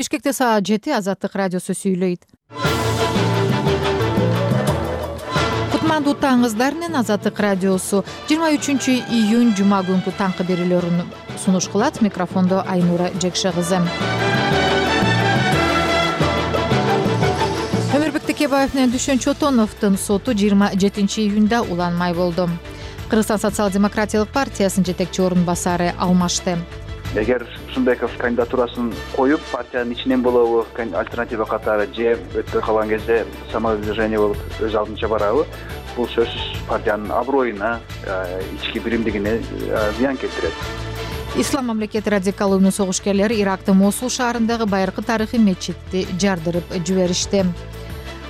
Бишкекте саат 7 Азаттык радиосу сүйлөйт. Кутмандуу таңыңыздар менен Азаттык радиосу 23-июнь жума күнкү таңкы берүүлөрүн сунуш кылат. Микрофондо Айнура Жекше кызы. Өмүрбек Текебаев менен Дүшөн Чотоновдун соту 27-июнда уланмай болду. Кыргызстан социал-демократиялык партиясынын жетекчи орун басары алмашты. Эгер Турсунбеков кандидатурасын коюп, партиянын ичинен болобу, альтернатива катары же өтпөй калган кезде самовыдвижение болуп өз алдынча барабы, бул сөзсүз партиянын аброюна, ички биримдигине зыян келтирет. Ислам мамлекети радикалдуу согушкерлери Ирактын Мосул шаарындагы байыркы тарыхый мечитти жардырып жиберишти.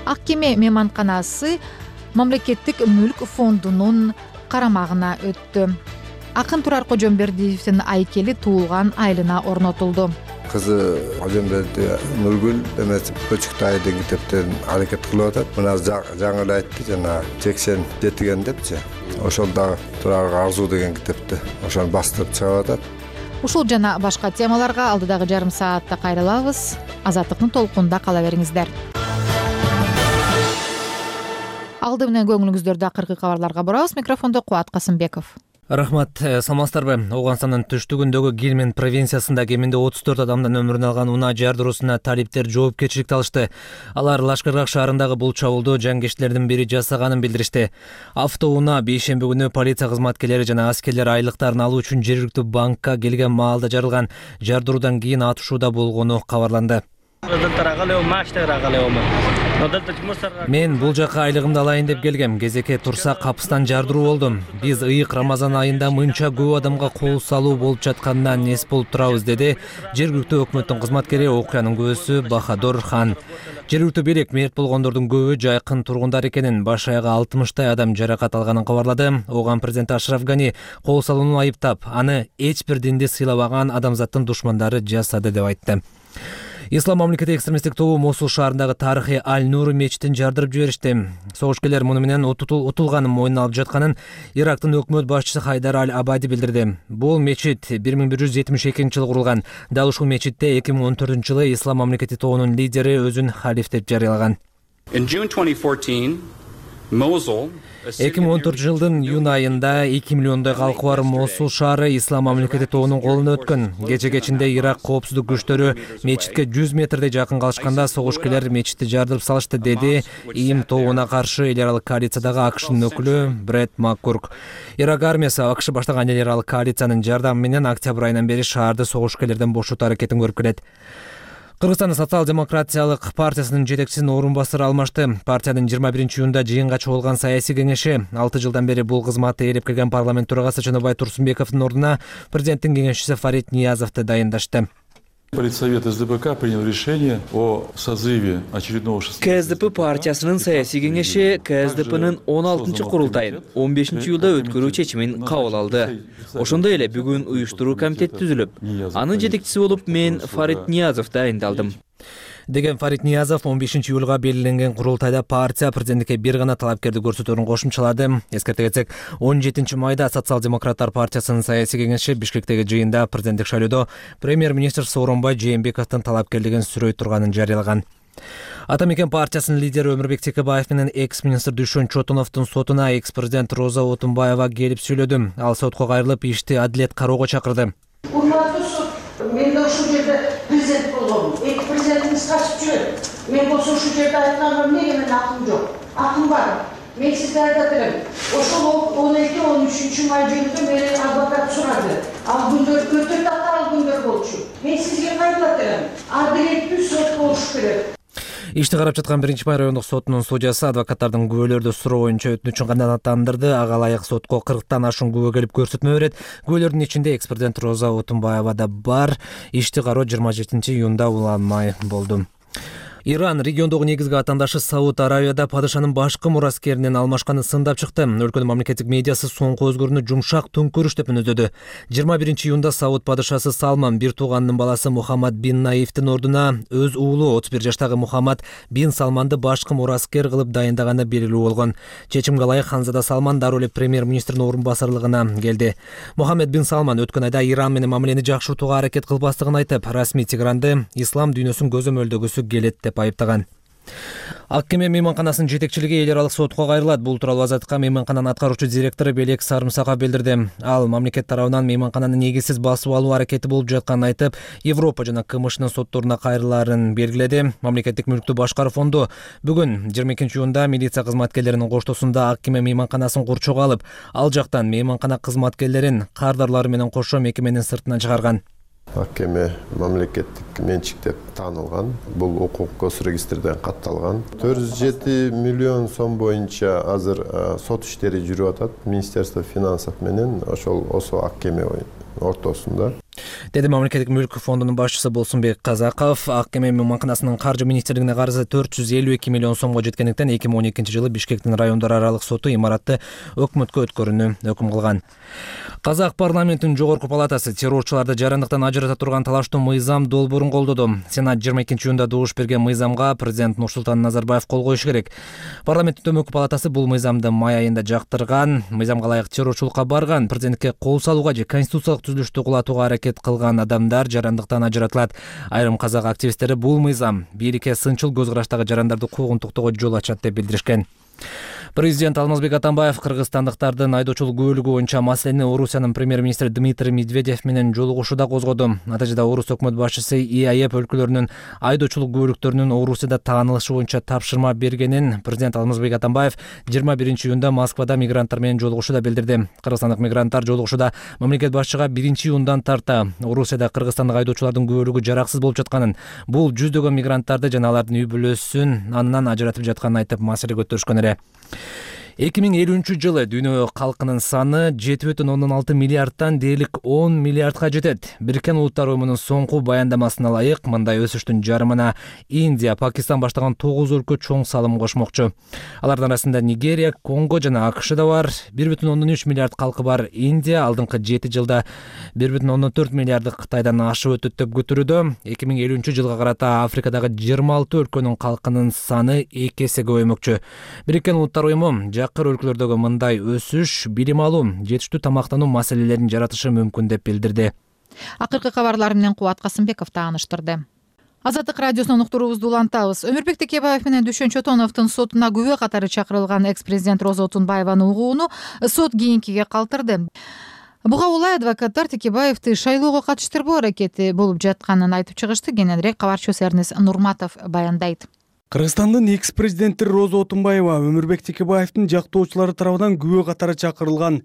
Ак кеме мейманканасы мамлекеттик мүлк фондунун карамагына өттү. Акын Турар Кожомбердиевдин айкели туулган айылына орнотулду. Кызы Кожомберди Нургүл эмес Көчүктайдын китептерин аракет кылып атат. Мына жаңы эле айтты, жана 87 депчи. Ошол дагы Турарга арзуу деген китепти ошону бастырып чыгып атат. Ушул жана башка темаларга алдыдагы жарым саатта кайрылабыз. Азаттыктын толкунунда кала бериңиздер. Алды менен көңүлүңүздөрдү акыркы кабарларга бурабыз. Микрофондо Кубат Касымбеков. Рахмат, саламатсыздарбы? Ауганстандын түштүгүндөгү Гилмен провинциясында кеминде 34 адамдын өмүрүн алган унаа жардыруусуна талиптер жоопкерчиликти алышты. Алар Лашкаргак шаарындагы бул чабуулду жангечтердин бири жасаганын билдиришти. Автоунаа бейшемби күнү полиция кызматкерлери жана аскерлер айлыктарын алуу үчүн жергиликтүү банкка келген маалда жарылган. Жардыруудан кийин атышууда болгону кабарланды. Мен бул жака айлыгымды алайын деп келгем. Кезекке турса капыстан жардыруу болду. Биз ыйык Рамазан айында мынча көп адамга кол салуу болуп жатканынан эс болуп турабыз, деди жергиликтүү өкмөттүн кызматкери, окуянын күүсү Бахадор Хан. Жергиликтүү бийлик мерт болгондордун көбү жайкын тургундар экенин, баш аягы 60 адам жаракат алганын кабарлады. Оган президент Ашраф Гани кол салууну айыптап, аны эч бир динди сыйлабаган адамзаттын душмандары жасады деп айтты. Ислам мамлекети экстремисттик тобу Мосул шаарындагы тарыхый Аль-Нур мечитин жардырып жиберишти. Согушкерлер муну менен утулганын мойнуна алып жатканын Ирактын өкмөт башчысы Хайдар Аль-Абади билдирди. Бул мечит 1172-жылы курулган. Дал ушул мечитте 2014-жылы Ислам мамлекети тобунун лидери өзүн халиф деп жарыялаган. 2014-жылдын июнь айында 2 миллиондой калкы бар Мосул шаары Ислам мамлекети тобунун колуна өткөн. Кече-кечинде Ирак коопсуздук күчтөрү мечитке 100 метрдей жакын калышканда согушкерлер мечитти жардырып салышты, деди ИИМ тобуна каршы эл аралык коалициядагы АКШнын өкүлү Брэд Маккурк. Ирак армиясы АКШ баштаган эл аралык коалициянын жардамы менен октябрь айынан бери шаарды согушкерлерден бошотуу аракетин көрүп келет. Кыргызстан социал-демократиялык партиясынын жетекчисинин орун басары алмашты. Партиянын 21-июнда жыйынга чогулган саясий кеңеши 6 жылдан бери бул кызматты ээлеп келген парламент төрагасы Жөнөбай Турсунбековдун ордуна президенттин кеңешчиси Фарид Ниязовду дайындашты. Политсовет СДПК принял решение о созыве очередного КСДП партиясынын саясий кеңеши КСДПнын 16-курултайын 15-июлда өткөрүү чечимин кабыл алды. Ошондой эле бүгүн уюштуруу комитети түзүлүп, анын жетекчиси болуп мен Фарид Ниязов дайындалдым. Деген Фарид Ниязов 15-июлга белгиленген курултайда партия президенттикке бир гана талапкерди көрсөтөөрүн кошумчалады. Эскерте кетсек, 17-майда Социал-демократтар партиясынын саясий кеңеши Бишкектеги жыйында президенттик шайлоодо премьер-министр Сооронбай Жээнбековдун талапкерлигин сүрөй турганын жарыялаган. Ата мекен партиясынын лидери Өмүрбек Текебаев менен экс-министр Дүшөн Чотоновдун сотуна экс-президент Роза Отунбаева келип сүйлөдү. Ал сотко кайрылып, ишти адилет кароого чакырды. Урматтуу сот, мен да ушул жерде президент болгом. Эки президентиңиз качып жүрөт. Мен болсо ушул жерде айтканга эмнеге менин акым жок? Акым бар. Мен сизге айтат элем. Ошол 12-13 май күнү мени адвокат сурады. Ал күндөр өтө татаал күндөр болчу. Мен сизге кайрылат элем. Адилеттүү сот болуш керек. Ишти карап жаткан 1-май райондук сотунун судьясы адвокаттардын күбөлөрдү суроо боюнча өтүнүчүн канааттандырды. Ага ылайык сотко 40тан ашуун күбө келип көрсөтмө берет. Күбөлөрдүн ичинде экс-президент Роза Отунбаева да бар. Ишти кароо 27-июнда уланмай болду. Иран региондогу негизги атандашы Сауд Аравияда падышанын башкы мураскеринен алмашканын сындап чыкты. Өлкөнүн мамлекеттик медиасы соңку өзгөрүүнү жумшак төңкөрүш деп мүнөздөдү. 21-июнда Сауд падышасы Салман бир тууганынын баласы Мухаммад бин Наифтин ордуна өз уулу 31 жаштагы Мухаммад бин Салманды башкы мураскер кылып дайындаганы белгилүү болгон. Чечимге ылайык Ханзада Салман дароо эле премьер-министрдин орун басарлыгына келди. Мухаммад бин Салман өткөн айда Иран менен мамилени жакшыртууга аракет кылбастыгын айтып, расмий Тегранды ислам дүйнөсүн көзөмөлдөгүсү келет деп айыптаган. Ак кеме мейманканасынын жетекчилиги эл аралык сотко кайрылат. Бул тууралуу Азаттыкка мейманкананын аткаруучу директору Белек Сарымсаков билдирди. Ал мамлекет тарабынан мейманкананы негизсиз басып алуу аракети болуп жатканын айтып, Европа жана КМШнын сотторуна кайрылаарын белгиледи. Мамлекеттик мүлктү башкаруу фонду бүгүн 22-июнда милиция кызматкерлеринин коштоосунда Ак кеме мейманканасын курчоого алып, ал жактан мейманкана кызматкерлерин кардарлары менен кошо мекеменин сыртына чыгарган. Ак кеме мамлекеттик менчик деп таанылган. Бул укук госрегистрден катталган. 407 миллион сом боюнча азыр сот иштери жүрүп атат. Министерство финансов менен ошол Ак кеме ортосунда. Деди мамлекеттик мүлк фондунун башчысы Болсунбек Казаков. Ак кеме мейманканасынын каржы министрлигине карызы 452 миллион сомго жеткендиктен 2012-жылы Бишкектин райондор аралык соту имаратты өкмөткө өткөрүүнү өкүм кылган. Казак парламентинин жогорку палатасы террорчуларды жарандыктан ажырата турган талаштуу мыйзам долбоорун колдоду. Сенат 22-июнда добуш берген мыйзамга президент Нурсултан Назарбаев кол коюшу керек. Парламенттин төмөнкү палатасы бул мыйзамды май айында жактырган. Мыйзамга ылайык террорчулукка барган, президентке кол салууга же конституциялык түзүлүштү кулатууга аракет кылган адамдар жарандыктан ажыратылат. Айрым казак активисттери бул мыйзам бийликке сынчыл көз караштагы жарандарды куугунтуктоого жол ачат деп билдиришкен. Президент Алмазбек Атамбаев кыргызстандыктардын айдоочулук күбөлүгү боюнча маселени Орусиянын премьер-министри Дмитрий Медведев менен жолугушууда козгоду. Натыйжада Орус өкмөт башчысы ИАЭП өлкөлөрүнүн айдоочулук күбөлүктөрүнүн Орусияда таанылышы боюнча тапшырма бергенин президент Алмазбек Атамбаев 21-июнда Москвада мигранттар менен жолугушууда билдирди. Кыргызстандык мигранттар жолугушууда мамлекет башчыга 1-июндан тарта Орусияда кыргызстандык айдоочулардын күбөлүгү жараксыз болуп жатканын, бул жүздөгөн мигранттарды жана алардын үй бүлөсүн анынан ажыратып жатканын айтып маселе көтөрүшкөн эле. 2050-жылы дүйнө калкынын саны 7,6 миллиардтан дээрлик 10 миллиардга жетет. Бириккен Улуттар уюмунун соңку баяндамасына ылайык, мындай өсүштүн жарымына Индия, Пакистан баштаган 9 өлкө чоң салым кошмокчу. Алардын арасында Нигерия, Конго жана АКШ да бар. 1,3 миллиард калкы бар Индия алдыңкы 7 жылда 1,4 миллиардды Кытайдан ашып өтөт деп күтүрүүдө. 2050-жылга карата Африкадагы 26 өлкөнүн калкынын саны 2 эсе көбөймөкчү. Бириккен Улуттар уюму жакыр өлкөлөрдөгү мындай өсүш билим алуу, жетиштүү тамактануу маселелерин жаратышы мүмкүн деп билдирди. Акыркы кабарлар менен Кубат Касымбеков тааныштырды. Азаттык радиосунун уктуруубузду улантабыз. Өмүрбек Текебаев менен Дүшөн Чотоновдун сотуна күбө катары чакырылган экс-президент Роза Отунбаеванын угууну сот кийинкиге калтырды. Буга улай адвокаттар Текебаевди шайлоого катыштырбоо аракети болуп жатканын айтып чыгышты. Кененирээк кабарчыбыз Эрнес Нурматов баяндайт. Кыргызстандын экс-президенти Роза Отунбаева Өмүрбек Текебаевдин жактоочулары тарабынан күбө катары чакырылган.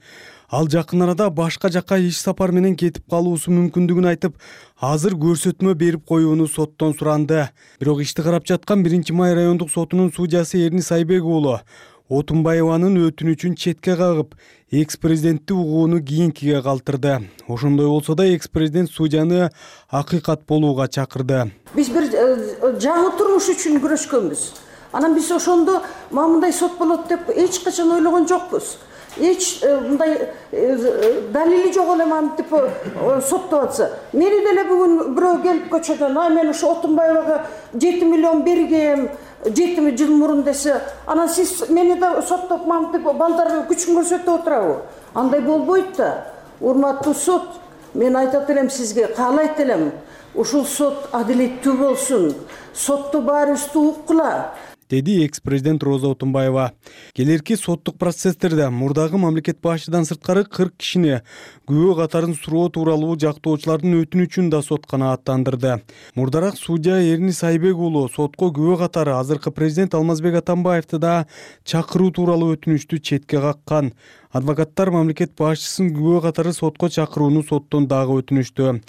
Ал жакын арада башка жакка иш сапар менен кетип калуусу мүмкүндүгүн айтып, азыр көрсөтмө берип коюуну соттон суранды. Бирок ишти карап жаткан 1-Май райондук сотунун судьясы Эрнис Айбек уулу Отунбаеванын өтүнүчүн четке кагып, экс-президентти угууну кийинкиге калтырды. Ошондой болсо да экс-президент судьяны акыйкат болууга чакырды. Биз бир жаңы турмуш үчүн күрөшкөнбүз. Анан биз ошондо мындай сот болот деп эч качан ойлогон жокпуз. Эч мындай далили жок эле мантип соттоп атса. Мени деле бүгүн бирөө келип көчөдөн, мен ошо Отунбаевага 7 миллион бергем, 7 жыл мурун десе, анан сиз мени да соттоп мантип балдар күчүн көрсөтүп отурабы? Андай болбойт да. Урматтуу сот, мен айтат элем сизге, каалайт элем. Ушул сот адилеттүү болсун. Сотту баарыбызды уккула, деди экс-президент Роза Отунбаева. Келерки соттук процесстерде мурдагы мамлекет башчыдан сырткары 40 кишини күбө катарын суроо тууралуу жактоочулардын өтүнүчүн да сот канааттандырды. Мурдарак судья Эрнис Айбек уулу сотко күбө катары азыркы президент Алмазбек Атамбаевди да чакыруу тууралуу өтүнүчтү четке каккан. Адвокаттар мамлекет башчысын күбө катары сотко чакырууну соттон дагы өтүнүштү.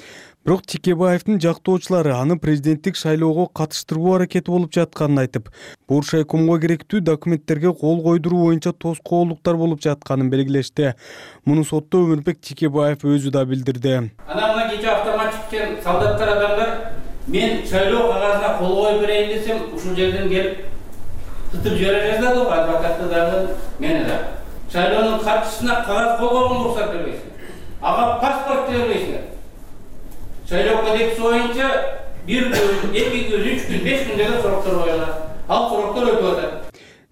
Бирок Текебаевдин жактоочулары аны президенттик шайлоого катыштырбоо аракети болуп жатканын айтып, Буршайкомго керектүү документтерге кол койдуруу боюнча тоскоолдуктар болуп жатканын белгилешти. Муну сотто Өмүрбек Текебаев өзү да билдирди. Анан мына кечээ автомат чыккан солдаттар адамдар мен шайлоо кагазына кол коюп берейин десем, ушул жерден келип тытып жибере жаздады го адвокаты дагы, мени да. Шайлоонун катчысына кагаз кол койгонго уруксат бербейсиңер. Ага паспорт бербейсиңер. Шайлоо кодекси боюнча 1 күн, 2 күн, 3 күн, 5 күндөгө суроктор коюлат. Ал суроктор өтүп атат.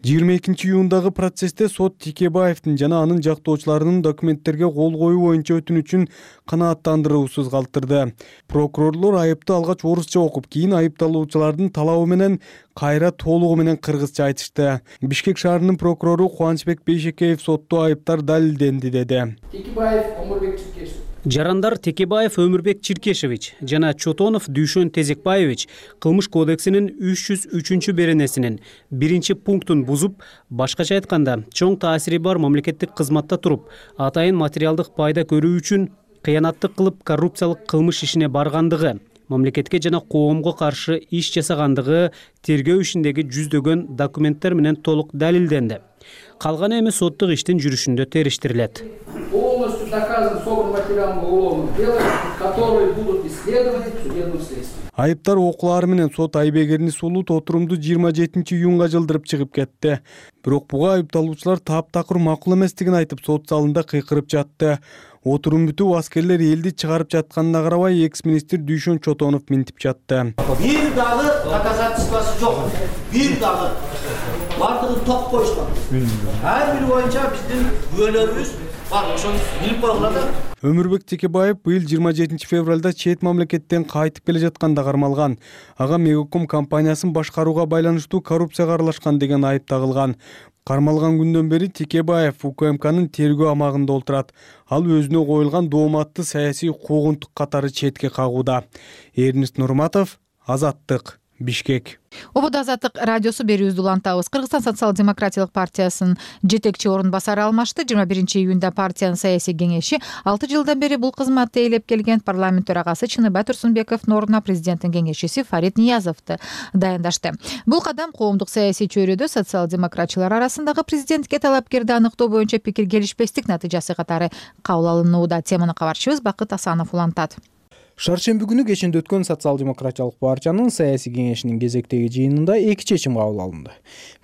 22 июндагы процессте сот Текебаевдин жана анын жактоочуларынын документтерге кол коюу боюнча өтүнүчүн канааттандыруусуз калтырды. Прокурорлор айыпты алгач орусча окуп, кийин айыпталуучулардын талабы менен кайра толугу менен кыргызча айтышты. Бишкек шаарынын прокурору Кубанычбек Бейшекеев сотто айыптар далилденди деди. Текебаев Омурбек Чиркешев. Жарандар Текебаев Өмүрбек Чиркешевич жана Чотонов Дүйшөн Тезекбаевич кылмыш кодексинин 303-беренесинин 1-пунктун бузуп, башкача айтканда, чоң таасири бар мамлекеттик кызматта туруп, атайын материалдык пайда көрүү үчүн кыянаттык кылып коррупциялык кылмыш ишине баргандыгы, мамлекетке жана коомго каршы иш жасагандыгы тергөө ишиндеги жүздөгөн документтер менен толук далилденди. Калганы эми соттук иштин жүрүшүндө териштирилет. Полностью доказан собран материалом уголовных дел, которые будут исследованы в судебном следствии. Айыптар окуулары менен сот Айбек Сулут отурумду 27 июнга жылдырып чыгып кетти. Бирок буга айыпталуучулар таптакыр макул эместигин айтып, сот залында кыйкырып жатты. Отурум бүтүп, аскерлер элди чыгарып жатканына карабай, экс-министр Дүйшөн Чотонов минтип жатты. Бир дагы доказательствосы жок. Бир дагы. Бардыгын ток коюшкан. Ар бири боюнча биздин күбөлөрүбүз бар, ошону билип койгула да. Өмүрбек Текебаев быйыл 27 февралда чет мамлекеттен кайтып келе жатканда кармалган. Ага Мегаком компаниясын башкарууга байланыштуу коррупцияга аралашкан деген айып тагылган. Кармалган күндөн бери Текебаев УКМКнын тергөө амагында отурат. Ал өзүнө коюлган дооматты саясий куугунтук катары четке кагууда. Эрнест Нурматов, Азаттык, Бишкек. Ободо Азаттык радиосу берүүбүздү улантабыз. Кыргызстан социал-демократиялык партиясынын жетекчи орун басары алмашты. 21 июнда партиянын саясий кеңеши 6 жылдан бери бул кызматты ээлеп келген парламент төрагасы Чыныбай Турсунбековдун ордуна президенттин кеңешчиси Фарид Ниязовду дайындашты. Бул кадам коомдук саясий чөйрөдө социал-демократчылар арасындагы президентке талапкерди аныктоо боюнча пикир келишпестик натыйжасы катары кабыл алынууда. Теманы кабарчыбыз Бакыт Асанов улантат. Шаршемби күнү кечинде өткөн социал-демократиялык партиянын саясий кеңешинин кезектеги жыйынында 2 чечим кабыл алынды.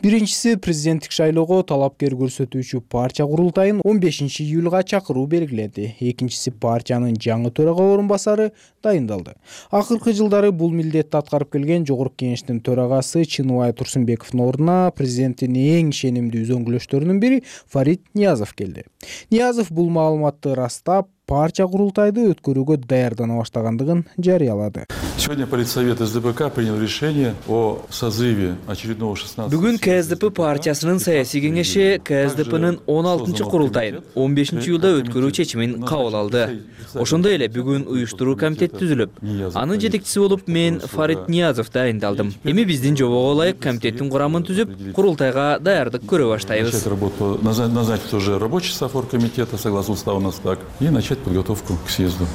Биринчиси президенттик шайлоого талапкер көрсөтүүчү партия курултайын 15 июлга чакыруу белгиленди. Экинчиси партиянын жаңы төрага орун басары дайындалды. Акыркы жылдары бул милдетти аткарып келген жогорку кеңештин төрагасы Чыныбай Турсунбековдун ордуна президенттин эң ишенимдүү үзөңгүлөштөрүнүн бири Фарид Ниязов келди. Ниязов бул маалыматты растап, партия курултайды өткөрүүгө даярдана баштагандыгын жарыялады. Сегодня Политсовет СДПК принял решение о созыве очередного 16. Бүгүн КСДП партиясынын саясий кеңеши КСДПнын 16 курултайын 15 июлда өткөрүү чечимин кабыл алды. Ошондой эле бүгүн уюштуруу комитети түзүлүп, анын жетекчиси болуп мен Фарид Ниязов дайындалдым. Эми биздин жобого ылайык комитеттин курамын түзүп, курултайга даярдык көрө баштайбыз. Назначить уже рабочий состав комитета, согласно уставу у нас так, и начать подготовку к съезду.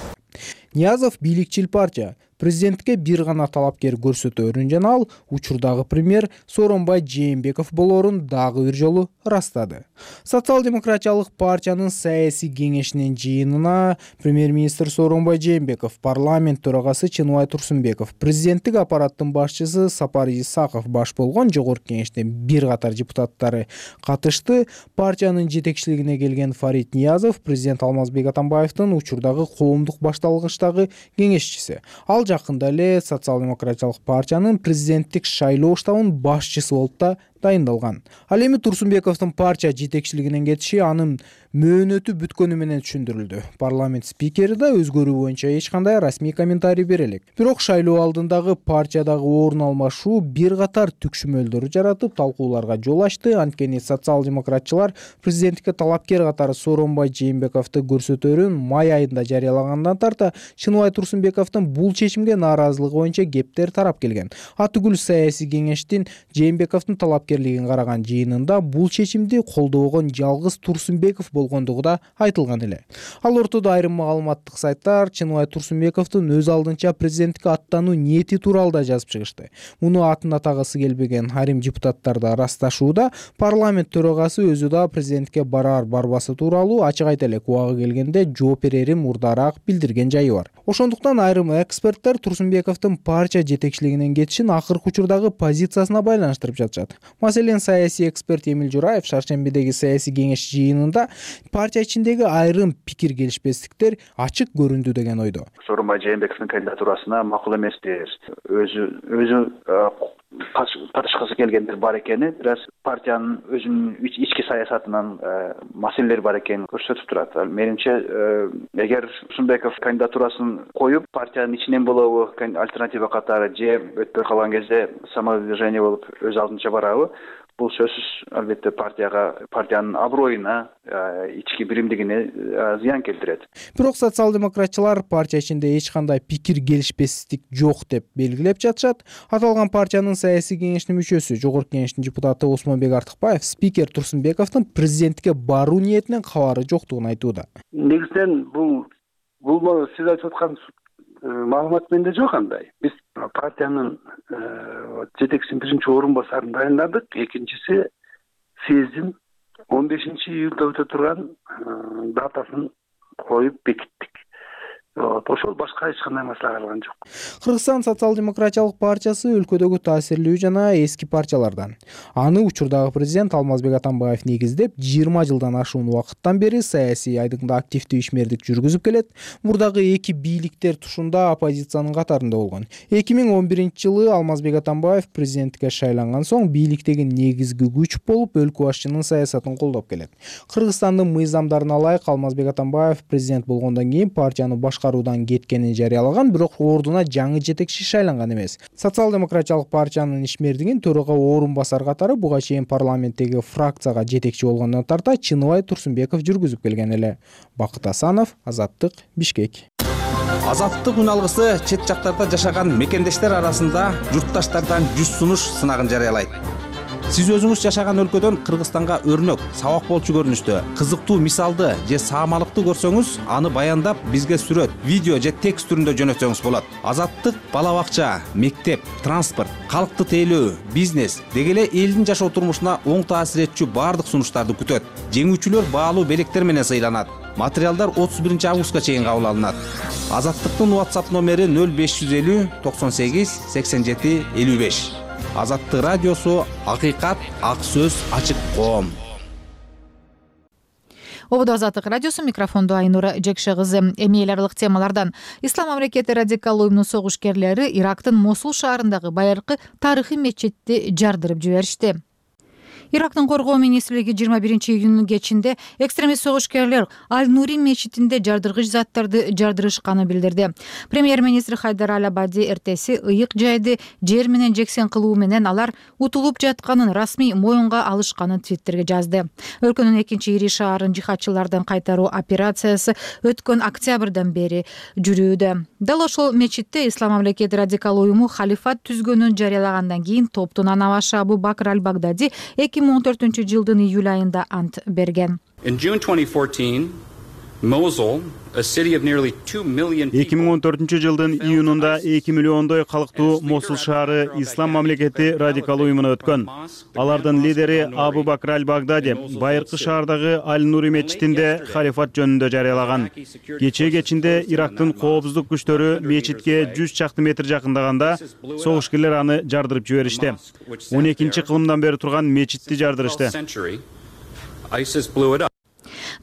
Ниязов бийликчил партия. Президентке бир гана талапкер көрсөтөөрүн жана ал учурдагы премьер Сооронбай Жээнбеков болоорун дагы бир жолу растады. Социал-демократиялык партиянын саясий кеңешинин жыйынына премьер-министр Сооронбай Жээнбеков, парламент төрагасы Чыныбай Турсунбеков, президенттик аппараттын башчысы Сапар Исаков баш болгон жогорку кеңештин бир катар депутаттары катышты. Партиянын жетекчилигине келген Фарид Ниязов президент Алмазбек Атамбаевдин учурдагы коомдук башталгычтагы кеңешчиси. Ал жакында эле социал-демократиялык партиянын президенттик шайлоо штабынын башчысы болуп да дайындалган. Ал эми Турсунбековдун партия жетекчилигинен кетиши анын мөөнөтү бүткөнү менен түшүндүрүлдү. Парламент спикери да өзгөрүү боюнча эч кандай расмий комментарий бере элек. Бирок шайлоо алдындагы партиядагы орун алмашуу бир катар түкшүмөлдөр жаратып, талкууларга жол ачты. Анткени социал-демократчылар президенттикке талапкер катары Сооронбай Жээнбековду көрсөтөөрүн май айында жарыялагандан тарта Чыныбай Турсунбековдун бул чечимге нааразылыгы боюнча кептер тарап келген. Атүгүл саясий кеңештин Жээнбековдун талапкер спикерлигин караган жыйынында бул чечимди колдобогон жалгыз Турсунбеков болгондугу да айтылган эле. Ал ортодо айрым маалыматтык сайттар Чыныбай Турсунбековдун өз алдынча президенттикке аттануу ниети тууралуу да жазып чыгышты. Муну атын атагысы келбеген айрым депутаттар да ырасташууда. Парламент төрагасы өзү да президентке барбасы тууралуу ачык айта элек, убагы келгенде жооп берерин мурдараак билдирген жайы бар. Ошондуктан айрым эксперттер Турсунбековдун партия жетекчилигинен кетишин акыркы учурдагы позициясына байланыштырып жатышат. Маселен, саясий эксперт Эмил Жураев Шаршембидеги саясий кеңеш жыйынында партия ичиндеги айрым пикир келишпестиктер ачык көрүндү деген ойдо. Сооронбай Жээнбековдун кандидатурасына макул эместир. Өзү катышкысы келгендер бар экени, бирок партиянын өзүнүн ички саясатынан маселелер бар экенин көрсөтүп турат. Менимче, эгер Турсунбеков кандидатурасын коюп, партиянын ичинен болобу, альтернатива катары же өтпөй калган кезде самовыдвижение болуп өз алдынча барабы, бул сөзсүз албетте партиянын аброюна, ички биримдигине зыян келтирет. Бирок социал-демократчылар партия ичинде эч кандай пикир келишпестик жок деп белгилеп жатышат. Аталган партиянын саясий кеңештин мүчөсү, жогорку кеңештин депутаты Осмонбек Артыкбаев спикер Турсунбековдун президенттикке баруу ниетинен кабары жоктугун айтууда. Негизинен бул сиз айтып аткан маалымат менде жок андай. Биз партиянын жетекчисинин биринчи орун басарын дайындадык. Экинчиси съездин 15-июлда өтө турган датасын коюп бекиттик. Ошол башка эч кандай маселе калган жок. Кыргызстан социал-демократиялык партиясы өлкөдөгү таасирлүү жана эски партиялардан. Аны учурдагы президент Алмазбек Атамбаев негиздеп, 20 жылдан ашуун убакыттан бери саясий айдыңда активдүү ишмердик жүргүзүп келет. Мурдагы эки бийликтер тушунда оппозициянын катарында болгон. 2011-жылы Алмазбек Атамбаев президенттикке шайланган соң бийликтеги негизги күч болуп, өлкө башчынын саясатын колдоп келет. Кыргызстандын мыйзамдарына ылайык Алмазбек Атамбаев президент болгондон кийин партияны башкаруудан кеткенин жарыялаган, бирок ордуна жаңы жетекчи шайланган эмес. Социал-демократиялык партиянын ишмердигин төрага орун басар катары буга чейин парламенттеги фракцияга жетекчи болгондон тарта Чыныбай Турсунбеков жүргүзүп келген эле. Бакыт Асанов, Азаттык, Бишкек. Азаттык үн алгысы чет жактарда жашаган мекендештер арасында журтташтардан 100 сунуш сынагын жарыялайт. Сиз өзүңүз жашаган өлкөдөн Кыргызстанга өрнөк, сабак болчу көрүнүштө, кызыктуу мисалды же саамалыкты көрсөңүз, аны баяндап бизге сүрөт, видео же текст түрүндө жөнөтсөңүз болот. Азаттык бала бакча, мектеп, транспорт, калкты тейлөө, бизнес деги эле элдин жашоо турмушуна оң таасир этчү баардык сунуштарды күтөт. Жеңүүчүлөр баалуу белектер менен сыйланат. Материалдар 31 августка чейин кабыл алынат. Азаттыктын WhatsApp номери 0550 98 87 55. Азаттык радиосу, акыйкат, ак сөз, ачык коом. Ободо Азаттык радиосу, микрофондо Айнура Жекше кызы. Эми эл аралык темалардан. Ислам мамлекети радикал уюмунун согушкерлери Ирактын Мосул шаарындагы байыркы тарыхый мечитти жардырып жиберишти. Ирактын коргоо министрлиги 21-июнь кечинде экстремист согушкерлер Аль-Нури мечитинде жардыргыч заттарды жардырышканын билдирди. Премьер-министр Хайдар Аль-Абади эртеси ыйык жайды жер менен жексен кылуу менен алар утулуп жатканын расмий моюнга алышканын Твиттерге жазды. Өлкөнүн экинчи ири шаарын жихадчылардан кайтаруу операциясы өткөн октябрдан бери жүрүүдө. Дал ошол мечитте Ислам мамлекети радикал уюму халифат түзгөнүн жарыялагандан кийин топтун анабашы Абу Бакр Аль-Багдadi 2014-жылдын июль айында ант берген. 2014-жылдын июнунда 2 миллиондой калктуу Мосул шаары Ислам мамлекети радикал уюмуна өткөн. Алардын лидери Абу Бакр Аль-Багдadi байыркы шаардагы Аль-Нури мечитинде халифат жөнүндө жарыялаган. Кечинде Ирактын коопсуздук күчтөрү мечитке 100 чакты метр жакындаганда согушкерлер аны жардырып жиберишти. 12 кылымдан бери турган мечитти жардырышты.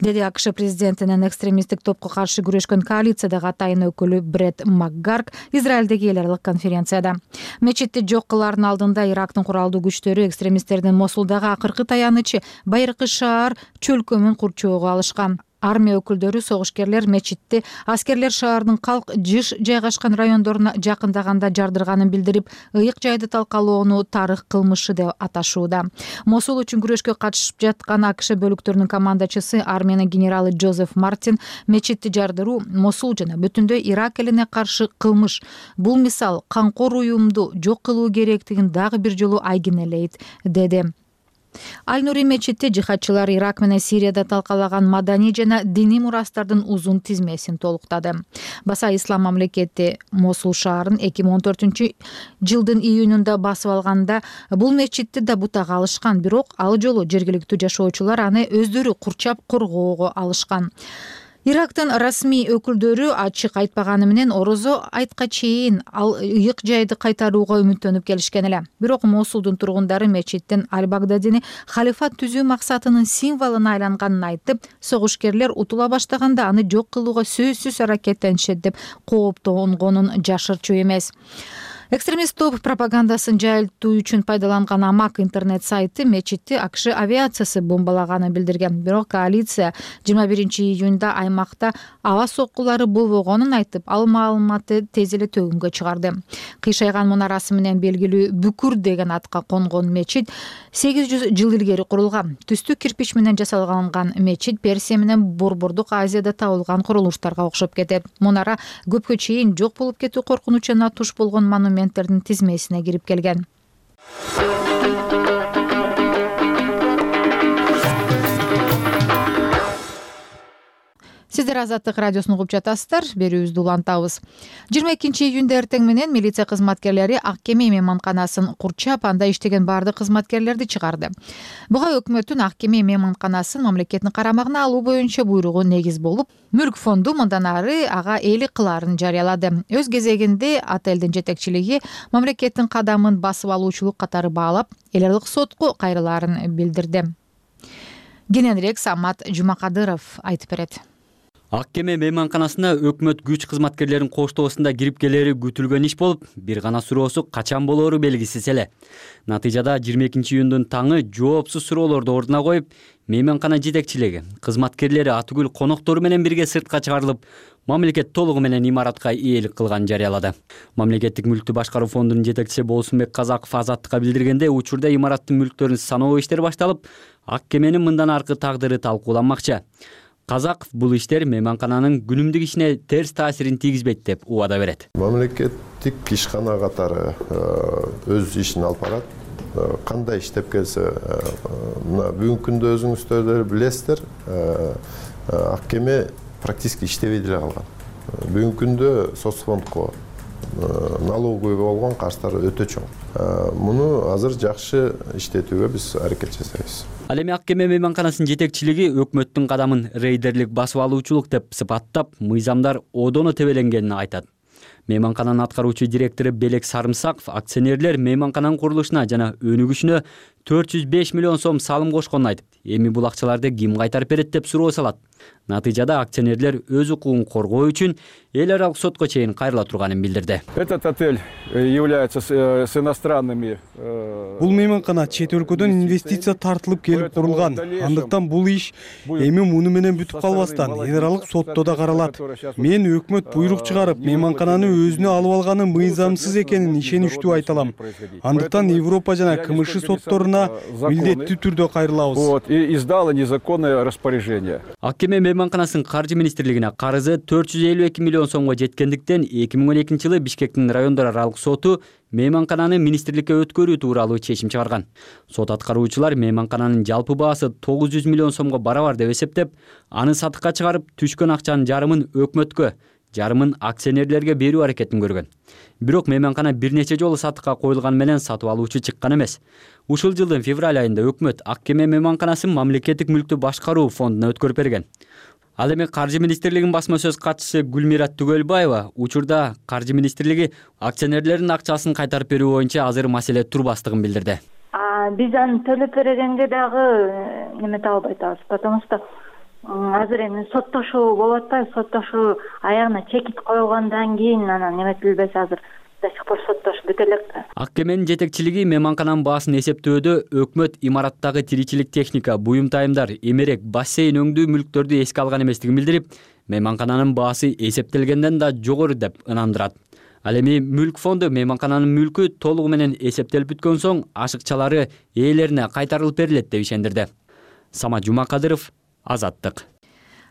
Деди АКШ президентинин экстремисттик топко каршы күрөшкөн коалициядагы атайын өкүлү Бред Макгарк Израилдеги эл аралык конференцияда. Мечитти жок кылаардын алдында Ирактын куралдуу күчтөрү экстремисттердин Мосулдагы акыркы таянычы байыркы шаар чөлкөмүн курчоого алышкан. Армия өкүлдөрү согушкерлер мечитти аскерлер шаардын калк жыш жайгашкан райондоруна жакындаганда жардырганын билдирип, ыйык жайды талкалоону тарых кылмышы деп аташууда. Мосул үчүн күрөшкө катышып жаткан АКШ бөлүктөрүнүн командачысы армиянын генералы Джозеф Мартин мечитти жардыруу Мосул жана бүтүндөй Ирак элине каршы кылмыш. Бул мисал канкор уюмду жок кылуу керектигин дагы бир жолу айгинелейт, деди. Аль Нури мечити жихадчылар Ирак менен Сирияда талкалаган маданий жана диний мурастардын узун тизмесин толуктады. Баса Ислам мамлекети Мосул шаарын 2014-жылдын июнунда басып алганда бул мечитти да бутага алышкан, бирок ал жолу жергиликтүү жашоочулар аны өздөрү курчап коргоого алышкан. Ирактын расмий өкүлдөрү ачык айтпаганы менен орозо айтка чейин ал ыйык жайды кайтарууга үмүттөнүп келишкен эле. Бирок Мосулдун тургундары мечиттин Аль-Багдадини халифат түзүү максатынын символуна айланганын айтып, согушкерлер утула баштаганда аны жок кылууга сөзсүз аракеттенишет деп кооптонгонун жашырчу эмес. Экстремист топ пропагандасын жайылтуу үчүн пайдаланган Амак интернет сайты мечитти АКШ авиациясы бомбалаганын билдирген. Бирок коалиция 21-июнда аймакта аба соккулары болбогонун айтып, ал маалыматты тез эле төгүнгө чыгарды. Кыйшайган мунарасы менен белгилүү Бүкүр деген атка конгон мечит 800 жыл илгери курулган. Түстүк кирпич менен жасалган мечит Персия менен Борбордук Азияда табылган курулуштарга окшоп кетет. Мунара көпкө чейин жок болуп кетүү коркунучуна туш болгон монументтердин тизмесине кирип келген. Сиздер Азаттык радиосун угуп жатасыздар. Берүүбүздү улантабыз. 22-июнда эртең менен милиция кызматкерлери Ак Кеме мейманканасын курчап, анда иштеген бардык кызматкерлерди чыгарды. Буга өкмөттүн Ак Кеме мейманканасын мамлекеттин карамагына алуу боюнча буйругу негиз болуп, Мүлк фонду мындан ары ага ээлик кылаарын жарыялады. Өз кезегинде отелдин жетекчилиги мамлекеттин кадамын басып алуучулук катары баалап, эл аралык сотко кайрылаарын билдирди. Кененирээк Самат Жумакадыров айтып берет. Ак Кеме мейманканасына өкмөт күч кызматкерлерин коштоосунда кирип келери күтүлгөн иш болуп, бир гана суроосу качан болоору белгисиз эле. Натыйжада 22-июндун таңы жоопсуз суроолорду ордуна коюп, мейманкана жетекчилиги, кызматкерлери атүгүл коноктору менен бирге сыртка чыгарылып, мамлекет толугу менен имаратка ээлик кылганын жарыялады. Мамлекеттик мүлктү башкаруу фондунун жетекчиси Болсунбек Казаков Азаттыкка билдиргенде, учурда имараттын мүлктөрүн саноо иштери башталып, Ак Кеменин мындан аркы тагдыры талкууланмакчы. Казаков бул иштер мейманкананын күнүмдүк ишине терс таасирин тийгизбейт деп убада берет. Мамлекеттик ишкана катары өз ишин алып барат. Кандай иштеп келсе, мына бүгүнкү күндө өзүңүздөр билесиздер, Ак Кеме практически иштебей деле калган. Бүгүнкү күндө соцфондко налоговый болгон карыздары өтө чоң. Муну азыр жакшы иштетүүгө биз аракет жасайбыз. Ал эми Ак Кеме мейманканасынын жетекчилиги өкмөттүн кадамын рейдерлик басып алуучулук деп сыпаттап, мыйзамдар одоно тебеленгенин айтат. Мейманкананын аткаруучу директору Белек Сарымсаков акционерлер мейманкананын курулушуна жана өнүгүшүнө 405 миллион сом салым кошконун айтып, эми бул акчаларды ким кайтарып берет деп суроо салат. Натыйжада акционерлер өз укугун коргоо үчүн эл аралык сотко чейин кайрыла турганын билдирди. Этот отель является с иностранными. Бул мейманкана чет өлкөдөн инвестиция тартылып келип курулган. Андыктан бул иш эми муну менен бүтүп калбастан эл аралык сотто да каралат. Мен өкмөт буйрук чыгарып, мейманкананы өзүнө алып алганы мыйзамсыз экенин ишеничтүү айта алам. Андыктан Европа жана КМШ сотторуна милдеттүү түрдө кайрылабыз. Вот, и издала незаконное распоряжение. Ак Кеме мейманканасынын каржы министрлигине карызы 452 миллион сомго жеткендиктен 2012 жылы Бишкектин райондор аралык соту мейманкананы министрликке өткөрүү тууралуу чечим чыгарган. Сот аткаруучулар мейманкананын жалпы баасы 900 миллион сомго барабар деп эсептеп, аны сатыкка чыгарып, түшкөн акчанын жарымын өкмөткө, жарымын акционерлерге берүү аракетин көргөн. Бирок мейманкана бир нече жолу сатыкка коюлган менен сатып алуучу чыккан эмес. Ушул жылдын февраль айында өкмөт Ак Кеме мейманканасын мамлекеттик мүлктү башкаруу фондуна өткөрүп берген. Ал эми Каржы министрлигинин басма сөз катчысы Гүлмира Түгөлбаева учурда Каржы министрлиги акционерлердин акчасын кайтарып берүү боюнча азыр маселе турбастыгын билдирди. Биз аны төлөп бергенге дагы немете албай атабыз, потому что азыр эми соттошуу болуп атпайбы, соттошуу аягына чекит коюлгандан кийин анан неметилбесе азыр до сих пор соттошуу бүтө элек. Ак Кеменин жетекчилиги мейманкананын баасын эсептөөдө өкмөт имараттагы тиричилик техника, буюм тайымдар, эмерек, бассейн өңдүү мүлктөрдү эске алган эместигин билдирип, мейманкананын баасы эсептелгенден да жогору деп ынандырат. Ал эми Мүлк фонду мейманкананын мүлкү толугу менен эсептелип бүткөн соң ашыкчалары ээлерине кайтарылып берилет деп ишендирди. Самат Жумакадыров, Азаттык.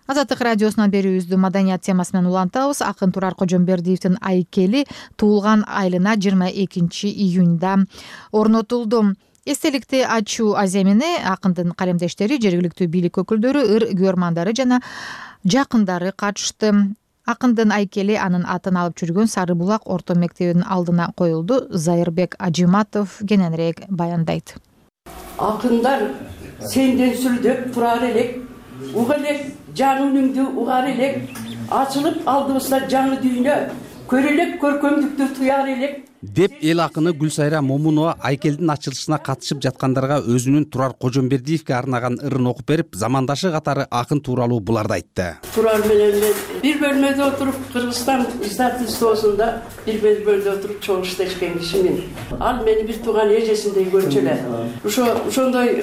Азаттык радиосунан берүүбүздү маданият темасы менен улантабыз. Акын Турар Кожомбердиевдин айкели туулган айылына 22 июнда орнотулду. Эстеликти ачуу аземине акындын калемдештери, жергиликтүү бийлик өкүлдөрү, ыр күөрмандары жана жакындары катышты. Акындын айкели анын атын алып жүргөн Сары Булак орто мектебинин алдына коюлду. Зайырбек Ажиматов кененирээк баяндайт. Акындар сенден сүрдөп турар элек, уга элек жаңы үнүңдү угар элек, ачылып алдыбызда жаңы дүйнө, көрөлек көркөмдүктү туяр элек деп эл акыны Гүлсайра Момунова айкелдин ачылышына катышып жаткандарга өзүнүн Турар Кожомбердиевге арнаган ырын окуп берип, замандашы катары акын тууралуу буларды айтты. Турар менен мен бир бөлмөдө отуруп, Кыргызстан издательствосунда бир бөлмөдө отуруп чогуу иштешкен кишимин. Ал мени бир тууган эжесиндей көрчү эле. Ошондой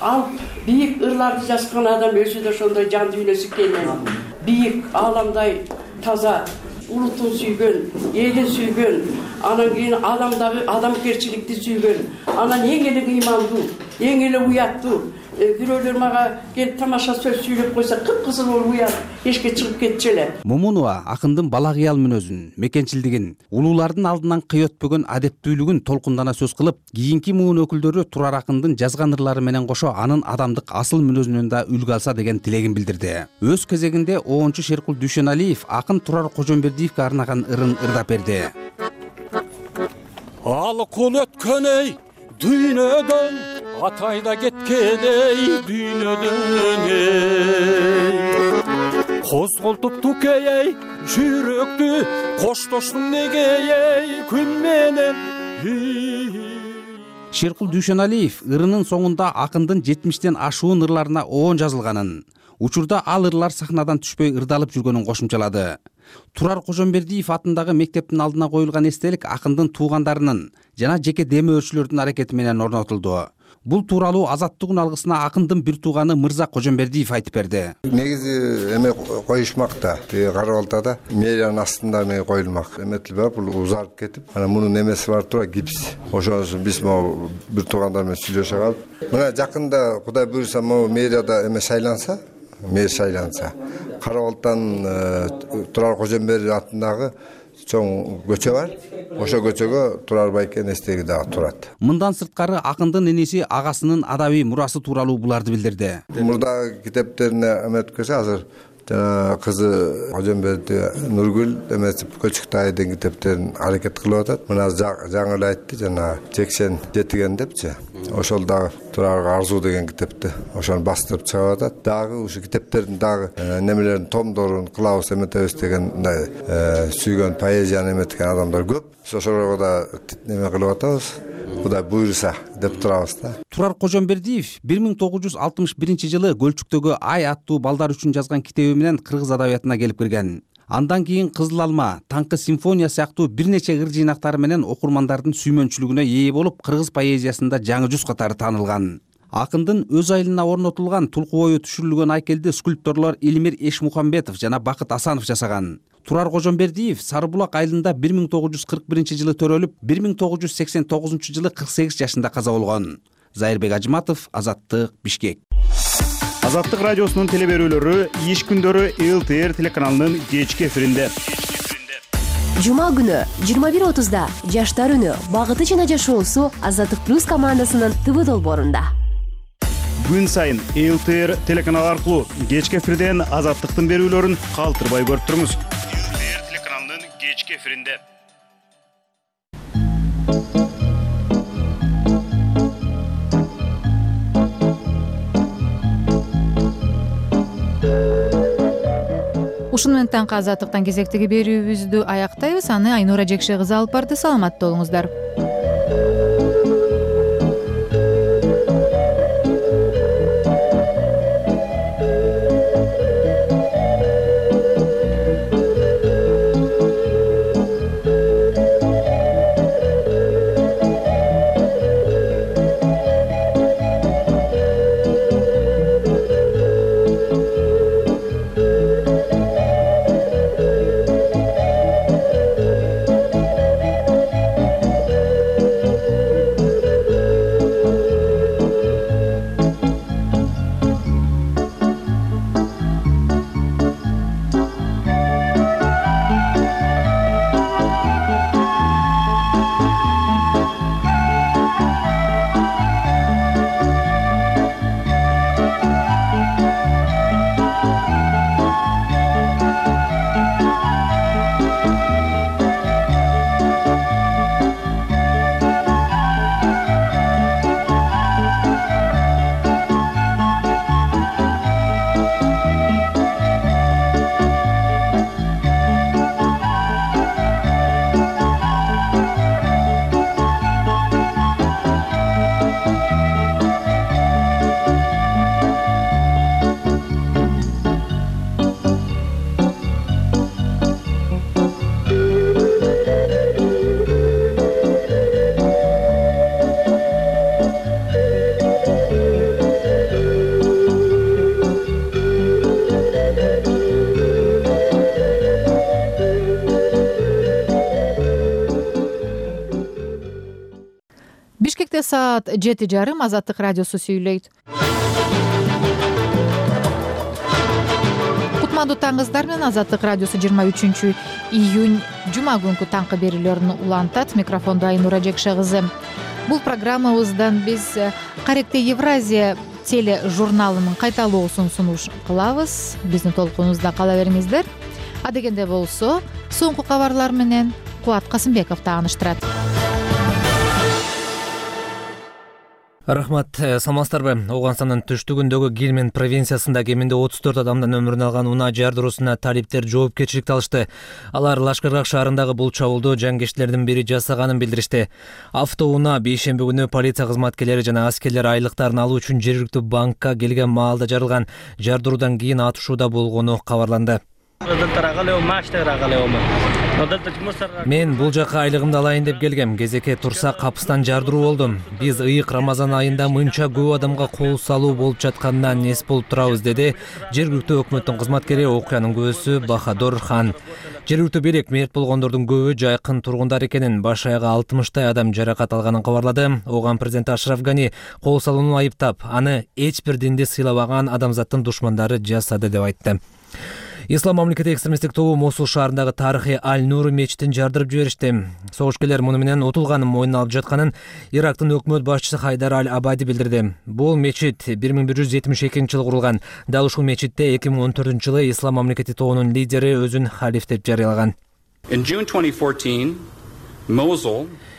ал бийик ырларды жазган адам өзү да ошондой жан дүйнөсү экенин, бийик ааламдай таза, улутун сүйгөн, элин сүйгөн, анан кийин адамдагы адамгерчиликти сүйгөн, анан эң эле ыймандуу, эң эле уяттуу. Бирөөлөр мага келип тамаша сөз сүйлөп койсо, кып-кызыл болуп уят, эшикке чыгып кетчү эле. Момунова акындын бала кыял мүнөзүн, мекенчилдигин, улуулардын алдынан кый өтпөгөн адептүүлүгүн толкундана сөз кылып, кийинки муун өкүлдөрү Турар акындын жазган ырлары менен кошо анын адамдык асыл мүнөзүнөн да үлгү алса деген тилегин билдирди. Өз кезегинде Оончу Шеркул Дүйшөналиев акын Турар Кожомбердиевге арнаган ырын ырдап берди. Алкул өткөн эй дүйнөдөн, атайда кеткен эй дүйнөдөн эй. Козголтупту кей эй жүрөктү, коштоштуң неге эй күн менен. Шеркул Дүйшөналиев ырынын соңунда акындын 70тен ашуун ырларына оон жазылганын, учурда ал ырлар сахнадан түшпөй ырдалып жүргөнүн кошумчалады. Турар Кожомбердиев атындагы мектептин алдына коюлган эстелик акындын туугандарынын жана жеке демөөрчүлөрдүн аракети менен орнотулду. Бул тууралуу Азаттык алгысына акындын бир тууганы Мырза Кожомбердиев айтып берди. Негизи эме коюшмакта, кара балтада мэриянын астында эме коюлмак. Эметилбей бул узарып кетип, анан мунун эмеси бар тура гипс. Ошону биз могу бир туугандар менен сүйлөшө калып, мына жакында Кудай буйруса могу мэрияда эме шайланса, мэр шайланса, Кара Балтанын Турар Кожомбердиев атындагы чоң көчө бар. Ошо көчөгө Турар байкенин эстеги дагы турат. Мындан сырткары акындын иниси агасынын адабий мурасы тууралуу буларды билдирди. Мурдагы китептерине эметкесе азыр жана кызы Кожомбердиев Нургүл эмесип Көчүктай деген китептерин аракет кылып атат. Мына жаңы эле айтты, жана 87 депчи. Ошол дагы Турарга арзуу деген китепти ошону бастырып чыгып атат. Дагы ушу китептердин дагы немелерин томдорун кылабыз эметебиз деген мындай сүйгөн поэзияны эметкен адамдар көп. Ошолорго да неме кылып атабыз. Кудай буйруса деп турабыз да. Турар Кожомбердиев 1961-жылы Көлчүктөгү Ай аттуу балдар үчүн жазган китеби менен кыргыз адабиятына келип кирген. Андан кийин Кызыл алма, Таңкы симфония сыяктуу бир нече ыр жыйнактары менен окурмандардын сүймөнчүлүгүнө ээ болуп, кыргыз поэзиясында жаңы жүз катары таанылган. Акындын өз айылына орнотулган тулку бою түшүрүлгөн айкелди скульпторлор Илмир Эшмухамбетов жана Бакыт Асанов жасаган. Турар Кожомбердиев Сары Булак айылында 1941-жылы төрөлүп, 1989-жылы 48 жашында каза болгон. Зайырбек Ажиматов, Азаттык, Бишкек. Азаттык радиосунун телеберүүлөрү иш күндөрү ЛТР телеканалынын кечки эфиринде. Жума күнү 21:30да Жаштар үнү багыты жана жашоосу Азаттык плюс командасынын ТВ долбоорунда. Күн сайын ЛТР телеканалы аркылуу кечки эфирден Азаттыктын берүүлөрүн калтырбай көрүп туруңуз. ЛТР телеканалынын кечки эфиринде. Ушуну менен таңкы Азаттыктан кезектеги берүүбүздү аяктайбыз. Аны Айнура Жекше кызы алып барды. Саламатта болуңуздар. Эртең саат 7:30 Азаттык радиосу сүйлөйт. Кутмандуу таңыңыздар менен Азаттык радиосу 23 июнь жума күнкү таңкы берүүлөрүн улантат. Микрофондо Айнура Жекше кызы. Бул программабыздан биз Каректе Евразия теле журналынын кайталоосун сунуш кылабыз. Биздин толкунубузда кала бериңиздер. Адегенде болсо, соңку кабарлар менен Кубат Касымбеков тааныштырат. Рахмат, саламатсыздарбы? Ооганстандын түштүгүндөгү Гельманд провинциясында кеминде 34 адамдын өмүрүн алган унаа жардыруусуна талиптер жоопкерчиликти алышты. Алар Лашкаргак шаарындагы бул чабуулду жангечтилердин бири жасаганын билдиришти. Автоунаа бейшемби күнү полиция кызматкерлери жана аскерлер айлыктарын алуу үчүн жергиликтүү банкка келген маалда жарылган. Жардыруудан кийин атышууда болгону кабарланды. Мен бул жака айлыгымды алайын деп келгем. Кезекке турса капыстан жардыруу болдум. Биз ыйык Рамазан айында мынча көп адамга кол салуу болуп жатканынан эс болуп турабыз, деди жергиликтүү өкмөттүн кызматкери, окуянын көөсү Бахадор Хан. Жергиликтүү бийлик мерт болгондордун көбү жайкын тургундар экенин, баш аягы 60 адам жаракат алганын кабарлады. Оган президент Ашраф Гани кол салууну айыптап, аны эч бир динди сыйлабаган адамзаттын душмандары жасады деп айтты. Ислам мамлекети экстремисттик тобу Мосул шаарындагы тарыхый Аль-Нур мечитин жардырып жиберишти. Согушкерлер муну менен утулганын мойнуна алып жатканын Ирактын өкмөт башчысы Хайдар Аль-Абади билдирди. Бул мечит 1172-жылы курулган. Дал ушул мечитте 2014-жылы Ислам мамлекети тобунун лидери өзүн халиф деп жарыялаган.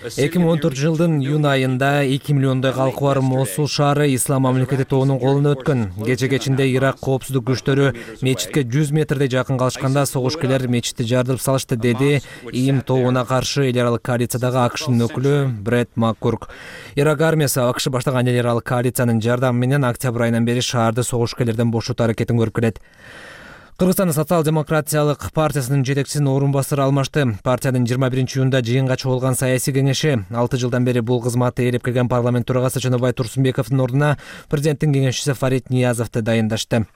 2014-жылдын июнь айында 2 миллиондой калкы бар Мосул шаары Ислам мамлекети тобунун колуна өткөн. Кече-кечинде Ирак коопсуздук күчтөрү мечитке 100 метрдей жакын калышканда согушкерлер мечитти жардырып салышты, деди ИИМ тобуна каршы эл аралык коалициядагы АКШнын өкүлү Брэд Маккурк. Ирак армиясы АКШ баштаган эл аралык коалициянын жардамы менен октябрь айынан бери шаарды согушкерлерден бошотуу аракетин көрүп келет. Кыргызстандын социал-демократиялык партиясынын жетекчисинин орун басары алмашты. Партиянын 21-июнда жыйынга чогулган саясий кеңеши 6 жылдан бери бул кызматты ээлеп келген парламент төрагасы Чыныбай Турсунбековдун ордуна президенттин кеңешчиси Фарид Ниязовду дайындашты.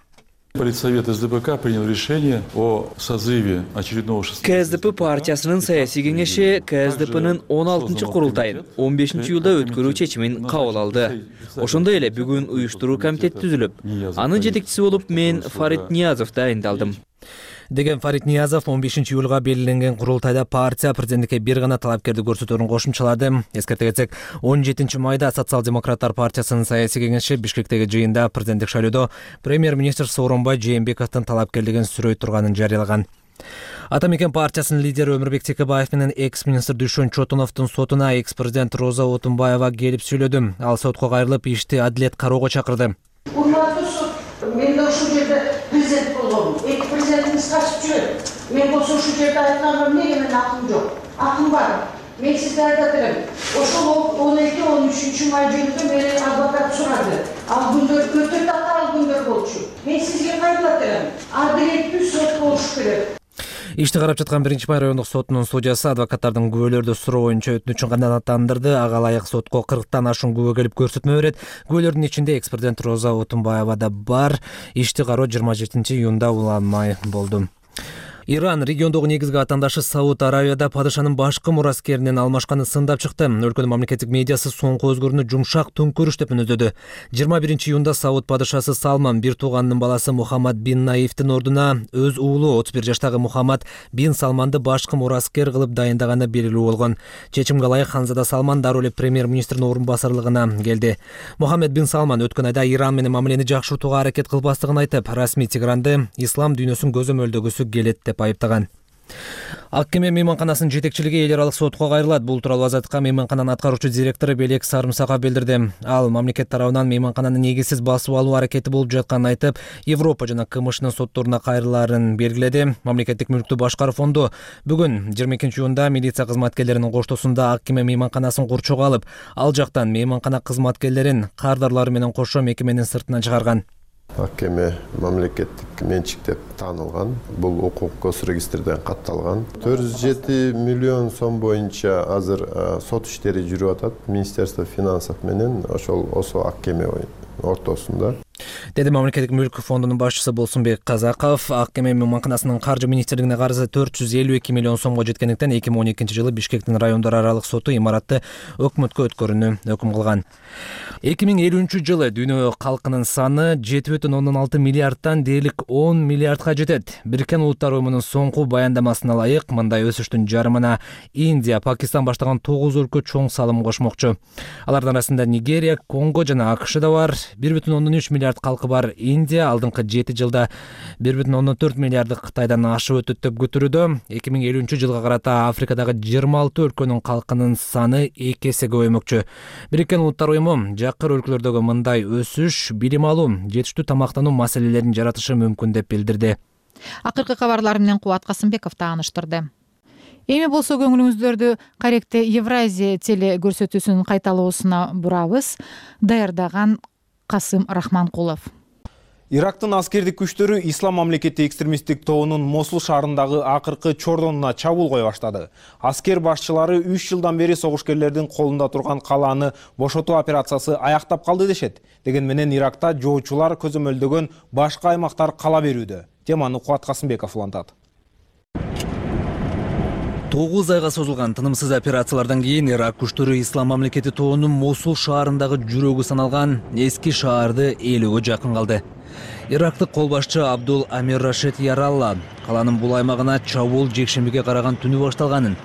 Политсовет СДПК принял решение о созыве очередного КСДП партиясынын саясий кеңеши КСДПнын 16-курултайын 15-июлда өткөрүү чечимин кабыл алды. Ошондой эле бүгүн уюштуруу комитети түзүлүп, анын жетекчиси болуп мен Фарид Ниязов дайындалдым. Деген Фарид Ниязов 15-июлга белгиленген курултайда партия президенттикке бир гана талапкерди көрсөтөөрүн кошумчалады. Эскерте кетсек, 17-майда Социал-демократтар партиясынын саясий кеңеши Бишкектеги жыйында президенттик шайлоодо премьер-министр Сооронбай Жээнбековдун талапкерлигин сүрөй турганын жарыялаган. Атамекен партиясынын лидери Өмүрбек Текебаев менен экс-министр Дүйшөн Чотоновдун сотуна экс-президент Роза Отунбаева келип сүйлөдү. Ал сотко кайрылып, ишти адилет кароого чакырды. Мен de uşu yerde prezident oldum. Prezidentimiz kaçıp жүрөт. Men bolsa uşu yerde aytkanım nege men aklım yok. Aklım var. Men sizde aytadırım. Oşul 12-13 may günüdө meni advokat сурады. Ал күндөр өтө татаал күндөр болчу. Мен сизге кайрылатырым. Адилеттүү сот болуш керек. Ишти карап жаткан 1-май райондук сотунун судьясы адвокаттардын күбөлөрдү суроо боюнча өтүнүчүн канааттандырды. Ага ылайык сотко 40тан ашуун күбө келип көрсөтмө берет. Күбөлөрдүн ичинде экс-президент Роза Отунбаева да бар. Ишти кароо 27-июнда уланмай болду. Иран региондогу негизги атандашы Сауд Аравияда падышанын башкы мураскеринен алмашканын сындап чыкты. Өлкөнүн мамлекеттик медиасы соңку өзгөрүүнү жумшак төңкөрүш деп мүнөздөдү. 21-июнда Сауд падышасы Салман бир тууганынын баласы Мухаммад бин Наифтин ордуна өз уулу 31 жаштагы Мухаммад бин Салманды башкы мураскер кылып дайындаганы белгилүү болгон. Чечимге ылайык Ханзада Салман дароо эле премьер-министрдин орун басарлыгына келди. Мухаммад бин Салман өткөн айда Иран менен мамилени жакшыртууга аракет кылбастыгын айтып, расмий Тегранды ислам дүйнөсүн көзөмөлдөгүсү келет деп айыптаган. Ак кеме мейманканасынын жетекчилиги эл аралык сотко кайрылат. Бул тууралуу Азаттыкка мейманкананын аткаруучу директору Белек Сарымсаков билдирди. Ал мамлекет тарабынан мейманкананы негизсиз басып алуу аракети болуп жатканын айтып, Европа жана КМШнын сотторуна кайрылаарын белгиледи. Мамлекеттик мүлктү башкаруу фонду бүгүн 22-июнда милиция кызматкерлеринин коштоосунда ак кеме мейманканасын курчоого алып, ал жактан мейманкана кызматкерлерин кардарлары менен кошо мекеменин сыртына чыгарган. Ак кеме мамлекеттик менчик деп таанылган. Бул укук госрегистрден катталган. 407 миллион сом боюнча азыр сот иштери жүрүп атат. Министерство финансов менен ошол ак кеме ортосунда. деди мамлекеттик мүлк фондунун башчысы Болсунбек Казаков. Ак кеме мейманканасынын каржы министрлигине карызы 452 миллион сомго жеткендиктен 2012-жылы Бишкектин райондор аралык соту имаратты өкмөткө өткөрүүнү өкүм кылган. 2050-жылы дүйнө калкынын саны 7,6 миллиардтан дээрлик 10 миллиардга жетет. Бириккен Улуттар уюмунун соңку баяндамасына ылайык, мындай өсүштүн жарымына Индия, Пакистан баштаган 9 өлкө чоң салым кошмокчу. Алардын арасында Нигерия, Конго жана АКШ да бар. 1,3 миллиард калкы бар Индия алдыңкы 7 жылда 1,4 миллиарды Кытайдан ашып өтөт деп күтүлүүдө. 2050-жылга карата Африкадагы 26 өлкөнүн калкынын саны 2 эсе көбөймөкчү. Бириккен Улуттар уюму жакыр өлкөлөрдөгү мындай өсүш билим алуу, жетиштүү тамактануу маселелерин жаратышы мүмкүн деп билдирди. Акыркы кабарлар менен Кубат Касымбеков тааныштырды. Эми болсо көңүлүңүздөрдү Каректе Евразия теле көрсөтүүсүнүн кайталоосуна бурабыз. Даярдаган Касым Рахманкулов. Ирактын аскердик күчтөрү Ислам мамлекети экстремисттик тобунун Мосул шаарындагы акыркы чордонуна чабуул кое баштады. Аскер башчылары 3 жылдан бери согушкерлердин колунда турган калааны бошотуу операциясы аяктап калды дешет. Деген менен Иракта жоочулар көзөмөлдөгөн башка аймактар кала берүүдө. Теманы Кубат Касымбеков улантат. 9 айга созулган тынымсыз операциялардан кийин Ирак күчтөрү Ислам мамлекети тобунун Мосул шаарындагы жүрөгү саналган эски шаарды ээлөөгө жакын калды. Ирактык кол башчы Абдул Амир Рашид Яралла каланын бул аймагына чабуул жекшембиге караган түнү башталганын,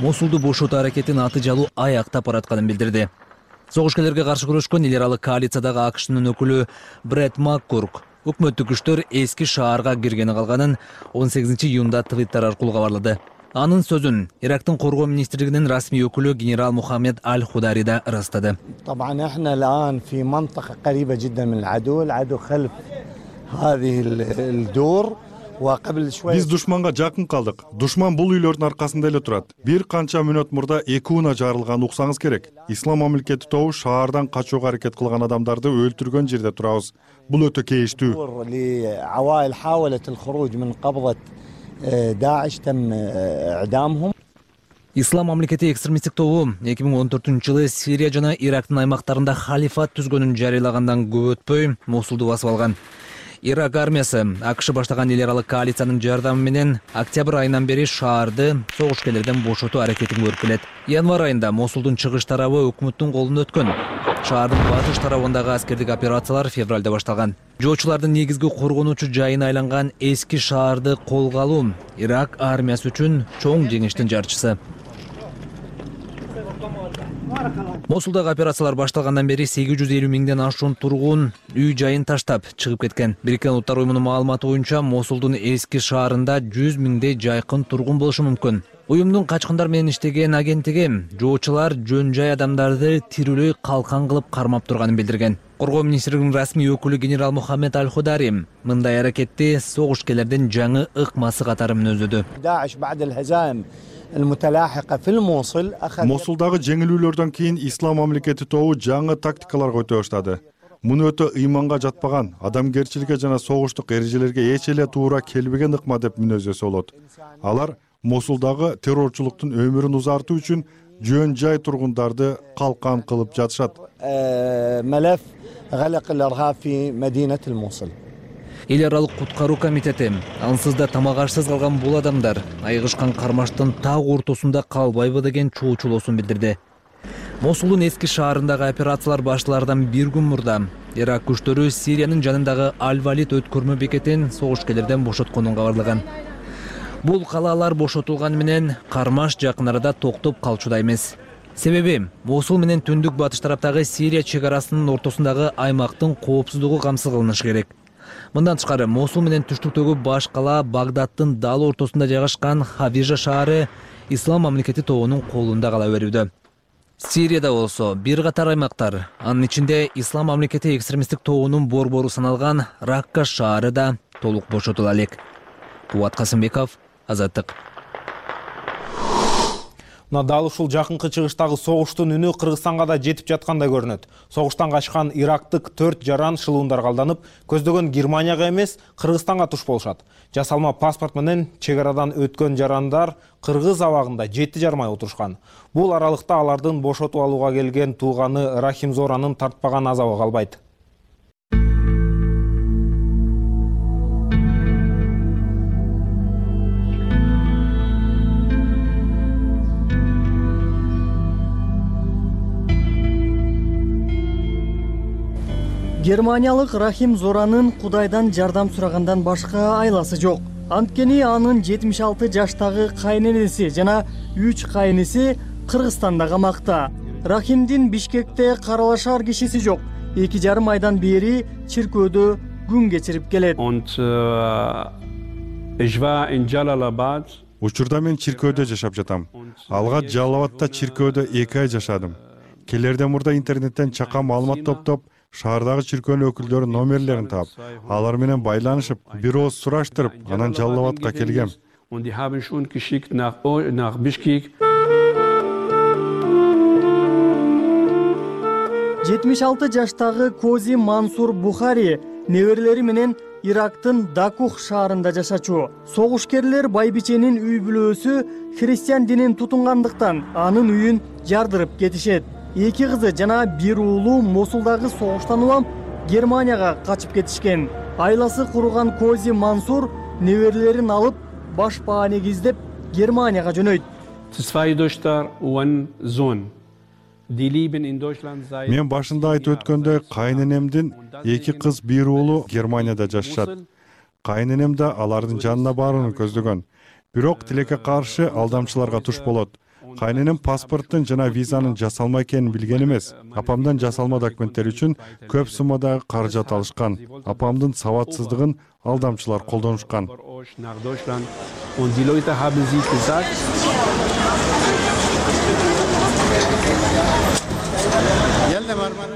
Мосулду бошотуу аракетин аты жалуу аяктап баратканын билдирди. Согушкерлерге каршы күрөшкөн эл аралык коалициядагы АКШнын өкүлү Брэд Маккурк өкмөттүк күчтөр эски шаарга киргени калганын 18-июнда твиттер аркылуу кабарлады. Анын сөзүн Ирактын коргоо министрлигинин расмий өкүлү генерал Мухаммед Аль-Худари да ырастады. طبعا احنا الان في منطقة قريبة جدا من العدو خلف هذه الدور وقبل شوية. Биз душманга жакын калдык. Душман бул үйлөрдүн аркасында эле турат. Бир канча мүнөт мурда 2 уна жарылган уксаңыз керек. Ислам мамлекети тобу шаардан качууга аракет кылган адамдарды өлтүргөн жерде турабыз. Бул өтө кейиштүү. عوائل حاولت الخروج من قبضة داعش تم اعدامهم. Ислам мамлекети экстремисттик тобу 2014-жылы Сирия жана Ирактын аймактарында халифат түзгөнүн жарыялагандан көп өтпөй Мосулду басып алган. Ирак армиясы АКШ баштаган эл аралык коалициянын жардамы менен октябрь айынан бери шаарды согушкерлерден бошотуу аракетин көрүп келет. Январь айында Мосулдун чыгыш тарабы өкмөттүн колуна өткөн. Шаардын батыш тарабындагы аскердик операциялар февралда башталган. Жоочулардын негизги коргонуучу жайына айланган эски шаарды колго алуу Ирак армиясы үчүн чоң жеңиштин жарчысы. Мосулдагы операциялар башталгандан бери 850 миңден ашуун тургун үй жайын таштап чыгып кеткен. Бириккен Улуттар уюмунун маалыматы боюнча Мосулдун эски шаарында 100 миңдей жайкын тургун болушу мүмкүн. Уюмдун качкындар менен иштеген агенттиги жоочулар жөн жай адамдарды тирүүлөй калкан кылып кармап турганын билдирген. Коргоо министрлигинин расмий өкүлү генерал Мухаммед Аль-Худари мындай аракетти согушкерлердин жаңы ыкмасы катары мүнөздөдү. Мосулдагы жеңилүүлөрдөн кийин Ислам мамлекети тобу жаңы тактикаларга өтө баштады. Муну өтө ыйманга жатпаган, адамгерчиликке жана согуштук эрежелерге эч эле туура келбеген ыкма деп мүнөздөсө болот. Алар Мосулдагы террорчулуктун өмүрүн узартуу үчүн жөн жай тургундарды калкан кылып жатышат. Эл аралык куткаруу комитети ансыз да тамак ашсыз калган бул адамдар айгышкан кармаштын так ортосунда калбайбы деген чоочулоосун билдирди. Мосулдун эски шаарындагы операциялар башталардан бир күн мурда Ирак күчтөрү Сириянын жанындагы Аль-Валид өткөрмө бекетин согушкерлерден бошотконун кабарлаган. Бул калаалар бошотулган менен кармаш жакын арада токтоп калчудай эмес. Себеби Мосул менен түндүк батыш тараптагы Сирия чек арасынын ортосундагы аймактын коопсуздугу камсыз кылынышы керек. Мындан тышкары Мосул менен түштүктөгү баш кала Багдадтын дал ортосунда жайгашкан Хавижа шаары Ислам мамлекети тобунун колунда кала берүүдө. Сирияда болсо бир катар аймактар, анын ичинде Ислам мамлекети экстремисттик тобунун борбору саналган Ракка шаары да толук бошотула элек. Кубат Касымбеков, Азаттык. Дал ушул жакынкы чыгыштагы согуштун үнү Кыргызстанга да жетип жаткандай көрүнөт. Согуштан качкан ирактык 4 жаран шылуундарга алданып, көздөгөн Германияга эмес, Кыргызстанга туш болушат. Жасалма паспорт менен чек арадан өткөн жарандар Кыргыз абагында 7 жармай отурушкан. Бул аралыкта алардын бошотуп алууга келген тууганы Рахим Зоранын тартпаган азабы калбайт. Германиялык Рахим Зоранын Кудайдан жардам сурагандан башка айласы жок. Анткени анын 76 жаштагы кайненеси жана 3 кайниси Кыргызстанда камакта. Рахимдин Бишкекте каралашар кишиси жок. 2,5 айдан бери чиркөөдө күн кечирип келет. Учурда мен чиркөөдө жашап жатам. Алга Жалал-Абадта чиркөөдө 2 ай жашадым. Келерден мурда интернеттен чака маалымат топтоп, шаардагы чиркөөнүн өкүлдөрүнүн номерлерин таап, алар менен байланышып, бир ооз сураштырып, анан Жалал-Абадка келгем. 76 жаштагы Кози Мансур Бухари неберелери менен Ирактын Дакух шаарында жашачу. Согушкерлер байбиченин үй бүлөөсү христиан динин тутунгандыктан анын үйүн жардырып кетишет. 2 кызы жана 1 уулу Мосулдагы согуштан улам Германияга качып кетишкен. Айласы курган Кози Мансур неберелерин алып баш бааник издеп Германияга жөнөйт. Мен башында айтып өткөндөй кайненемдин 2 кыз 1 уулу Германияда жашашат. Кайненем да алардын жанына барууну көздөгөн. Бирок тилекке каршы алдамчыларга туш болот. Кайненем паспорттун жана визанын жасалма экенин билген эмес. Апамдан жасалма документтер үчүн көп суммадагы каражат алышкан. Апамдын сабатсыздыгын алдамчылар колдонушкан.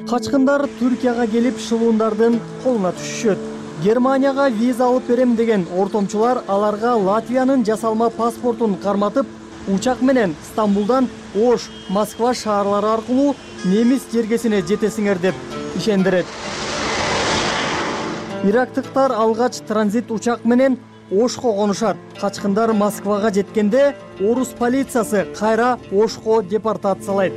Качкындар Түркияга келип шылуундардын колуна түшүшөт. Германияга виза алып берем деген ортомчулар аларга Латвиянын жасалма паспортун карматып, учак менен Стамбулдан Ош, Москва шаарлары аркылуу немис жергесине жетесиңер деп ишендирет. Ирактыктар алгач транзит учак менен Ошко конушат. Качкындар Москвага жеткенде орус полициясы кайра Ошко депортациялайт.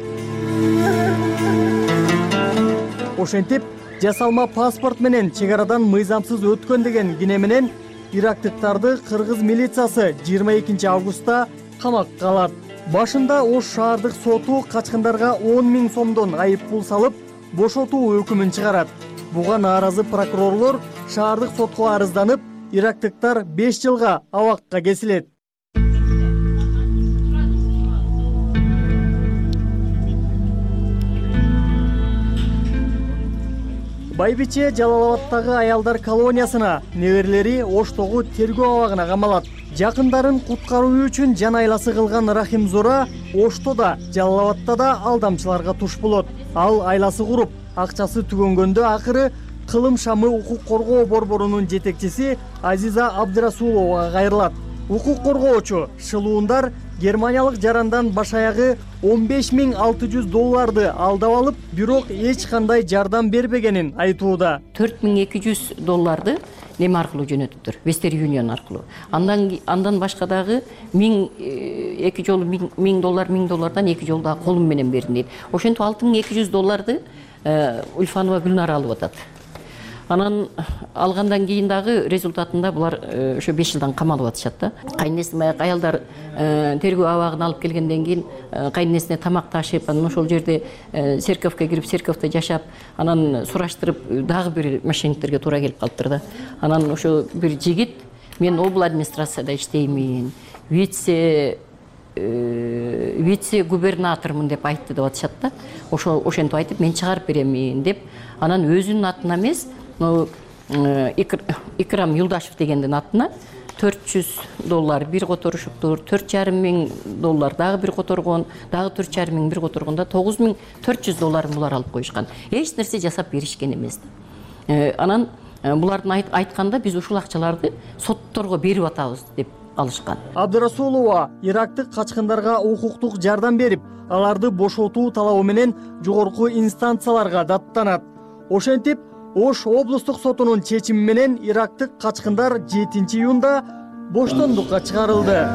Ошентип, жасалма паспорт менен чек арадан мыйзамсыз өткөн деген кине менен ирактыктарды кыргыз милициясы 22 августта камакка алат. Башында Ош шаардык соту качкындарга 10 000 сомдон айып пул салып, бошотуу өкүмүн чыгарат. Буга нааразы прокурорлор шаардык сотко арызданып, ирактыктар 5 жылга абакка кесилет. Байбиче Жалал-Абадтагы аялдар колониясына, неберелери Оштогу тергөө абагына камалат. Жакындарын куткаруу үчүн жан айласы кылган Рахим Зора Ошто да, Жалал-Абадта да алдамчыларга туш болот. Ал айласы куруп, акчасы түгөнгөндө акыры Кылым Шамы укук коргоо борборунун жетекчиси Азиза Абдырасуловага кайрылат. Укук коргоочу шылуундар германиялык жарандан баш аягы $15,600 алдап алып, бирок эч кандай жардам бербегенин айтууда. $4,200 неме аркылуу жөнөтүптүр, Western Union аркылуу. Андан башка дагы 2 жолу $1000 2 жолу дагы колум менен бердим дейт. Ошентип $6,200 Ульфанова Гүлнара алып атат. Анан алгандан кийин дагы результатында булар ошо 5 жылдан камалып атышат да. Кайненесине аялдар тергөө абагына алып келгенден кийин кайненесине тамак ташып, анан ошол жерде церковке кирип, церковте жашап, анан сураштырып дагы бир мошенниктерге туура келип калыптыр да. Анан ошо бир жигит мен обл администрацияда иштеймин, вице губернатормун деп айтты деп атышат да. Ошентип айтып мен чыгарып беремин деп, анан өзүнүн атына эмес, Икрам Юлдашев дегендин атына $400 бир которушуптур, $4,500 дагы бир которгон, дагы $4,500 бир которгондо $9,400 булар алып коюшкан. Эч нерсе жасап беришкен эмес. Анан булардын айтканда биз ушул акчаларды сотторго берип атабыз деп алышкан. Абдырасулова ирактык качкындарга укуктук жардам берип, аларды бошотуу талабы менен жогорку инстанцияларга даттанат. Ошентип, Ош облустук сотунун чечими менен ирактык качкындар 7 июнда боштондукка чыгарылды.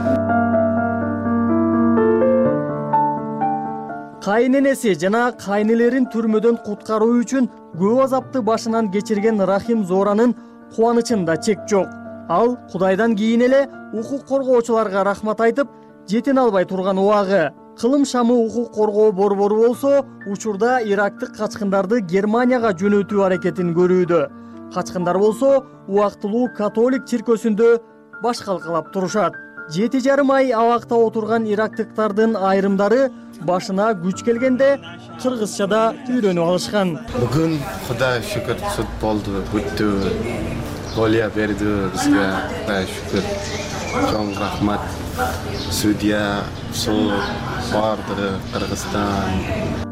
Кайненеси жана кайнелерин түрмөдөн куткаруу үчүн көп азапты башынан кечирген Рахим Зоранын кубанычында чек жок. Ал Кудайдан кийин эле укук коргоочуларга рахмат айтып, жетине албай турган убагы. Кылым шамы укук коргоо борбору болсо учурда ирактык качкындарды Германияга жөнөтүү аракетин көрүүдө. Качкындар болсо убактылуу католик чиркөөсүндө баш калкалап турушат. 7,5 ай абакта отурган ирактыктардын айрымдары башына күч келгенде кыргызча да үйрөнүп алышкан. Бүгүн Кудай шүкүр суд болду, бүттү. Голия берди бизге. Кудай шүкүр. Чоң рахмат. Судья, суд, бардыгы Кыргызстан.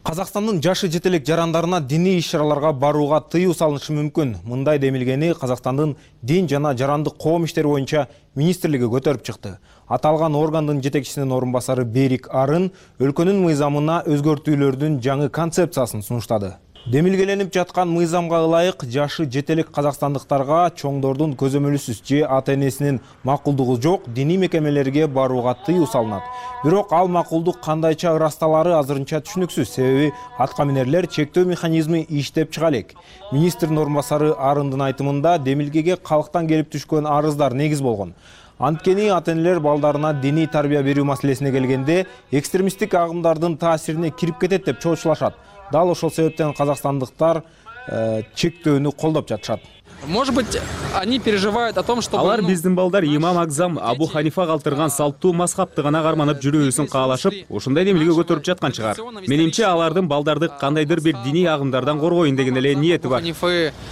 Казакстандын жашы жетелек жарандарына диний иш-чараларга барууга тыюу салынышы мүмкүн. Мындай демилгени Казакстандын дин жана жарандык коом иштери боюнча министрлиги көтөрүп чыкты. Аталган органдын жетекчисинин орун басары Берик Арын өлкөнүн мыйзамына өзгөртүүлөрдүн жаңы концепциясын сунуштады. Демилгеленип жаткан мыйзамга ылайык жашы жетелек казакстандыктарга чоңдордун көзөмөлүсүз же ата-энесинин макулдугу жок диний мекемелерге барууга тыюу салынат. Бирок ал макулдук кандайча ырасталары азырынча түшүнүксүз, себеби аткаминерлер чектөө механизми иштеп чыга элек. Министрдин орун басары Арындын айтымында демилгеге калктан келип түшкөн арыздар негиз болгон. Анткени ата-энелер балдарына диний тарбия берүү маселесине келгенде экстремисттик агымдардын таасирине кирип кетет деп чоочулашат. Дал ошол себептен казакстандыктар чектөөнү колдоп жатышат. Может быть, они переживают о том, что алар биздин балдар имам Акзам Абу Ханифа калтырган салттуу мазхабты гана карманып жүрүүсүн каалашып, ошондой демилге көтөрүп жаткан чыгар. Менимче алардын балдарды кандайдыр бир диний агымдардан коргоюн деген эле ниети бар.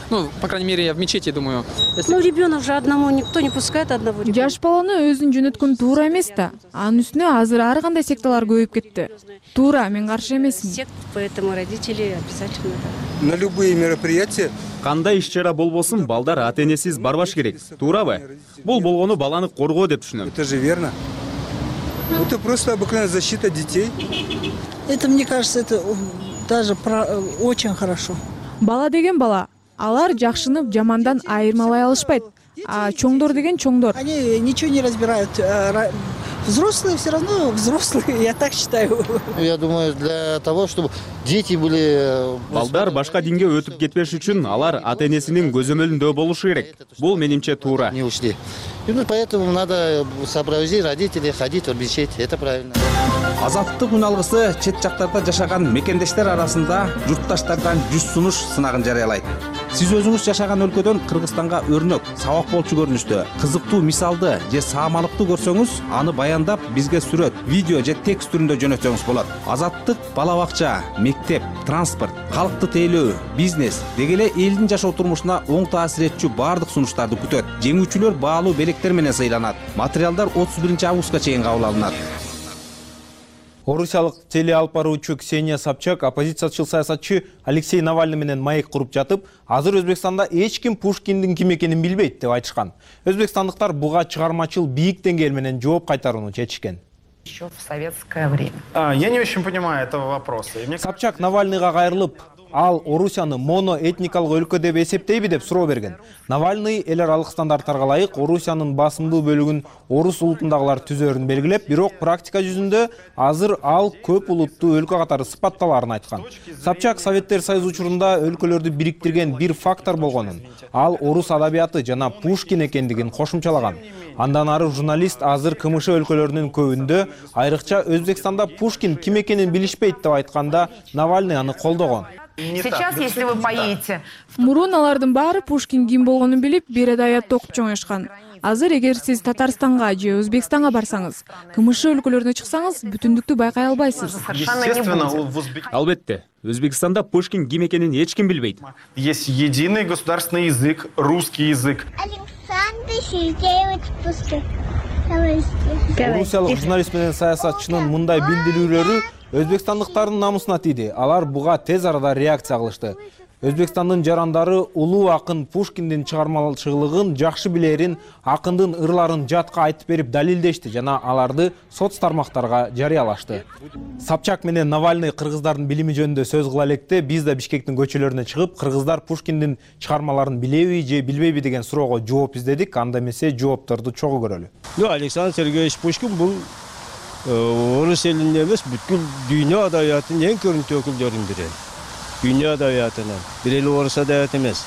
Ну, по крайней мере, я в мечети думаю. Ну, ребенок же одному никто не пускает одного ребенка. Жаш баланы өзүн жөнөткөн туура эмес да. Анын үстүнө азыр ар кандай секталар көбөйүп кетти. Туура, мен каршы эмесмин. Поэтому родители обязательно. На любые мероприятия. Кандай иш-чара болбосун, балдар ата-энесиз барбаш керек. Туурабы? Бул болгону баланы коргоо деп түшүнөм. Это же верно. Это просто обыкновенная защита детей. Это, мне кажется, это даже очень хорошо. Бала деген бала. Алар жакшыны жамандан айырмалай алышпайт. А чоңдор деген чоңдор. Они ничего не разбирают. Взрослые все равно взрослые, я так считаю. Я думаю, для того, чтобы дети были... Балдар башка динге өтүп кетпеш үчүн алар ата-энесинин көзөмөлүндө болушу керек. Бул менимче туура. Не ушли. Именно поэтому надо сопроводить родителей, ходить в мечеть. Это правильно. Азаттык үн алгысы чет жактарда жашаган мекендештер арасында журтташтардан жүз сунуш сынагын жарыялайт. Сиз өзүңүз жашаган өлкөдөн Кыргызстанга өрнөк, сабак болчу көрүнүштө, кызыктуу мисалды же саамалыкты көрсөңүз, аны баяндап бизге сүрөт, видео же текст түрүндө жөнөтсөңүз болот. Азаттык бала бакча, мектеп, транспорт, калкты тейлөө, бизнес деги эле элдин жашоо турмушуна оң таасир этчү баардык сунуштарды күтөт. Жеңүүчүлөр баалуу белектер менен сыйланат. Материалдар 31-августка чейин кабыл алынат. Орусиялык телеалып баруучу Ксения Собчак оппозициячыл саясатчы Алексей Навальный менен маек куруп жатып, азыр Өзбекстанда эч ким Пушкиндин ким экенин билбейт деп айтышкан. Өзбекстандыктар буга чыгармачыл бийик деңгээл менен жооп кайтарууну чечишкен. Еще в советское время. Я не очень понимаю этого вопроса. Собчак Навальныйга кайрылып, ал Орусияны моноэтникалык өлкө деп эсептейби деп суроо берген. Навальный эл аралык стандарттарга ылайык Орусиянын басымдуу бөлүгүн орус улутундагылар түзөрүн белгилеп, бирок практика жүзүндө азыр ал көп улуттуу өлкө катары сыпатталарын айткан. Собчак Советтер Союзу учурунда өлкөлөрдү бириктирген бир фактор болгонун, ал орус адабияты жана Пушкин экендигин кошумчалаган. Андан ары журналист азыр КМШ өлкөлөрүнүн көбүндө, айрыкча Өзбекстанда Пушкин ким экенин билишпейт деп айтканда, Навальный аны колдогон. Сейчас, если вы поедете... Мурун алардын баары Пушкин ким болгонун билип, бир адаятты окуп чоңоюшкан. Азыр эгер сиз Татарстанга же Өзбекстанга барсаңыз, КМШ өлкөлөрүнө чыксаңыз, бүтүндүктү байкай албайсыз. Албетте, Өзбекстанда Пушкин ким экенин эч ким билбейт. Есть единый государственный язык, русский язык. Александр Сергеевич Пушкин. Орусиялык журналист менен саясатчынын мындай билдирүүлөрү өзбекстандыктардын намысына тийди. Алар буга тез арада реакция кылышты. Өзбекстандын жарандары улуу акын Пушкиндин чыгармачылыгын жакшы билерин, акындын ырларын жатка айтып берип далилдешти жана аларды соц тармактарга жарыялашты. Собчак менен Навальный кыргыздардын билими жөнүндө сөз кыла электе, биз да Бишкектин көчөлөрүнө чыгып, кыргыздар Пушкиндин чыгармаларын билеби же билбейби деген суроого жооп издедик. Анда эмесе жоопторду чогуу көрөлү. Александр Сергеевич Пушкин бул орус элинде эмес, бүткүл дүйнө адабиятынын эң көрүнүктүү өкүлдөрүнүн бири. Дүйнө адабиятынан бир эле орус адабияты эмес,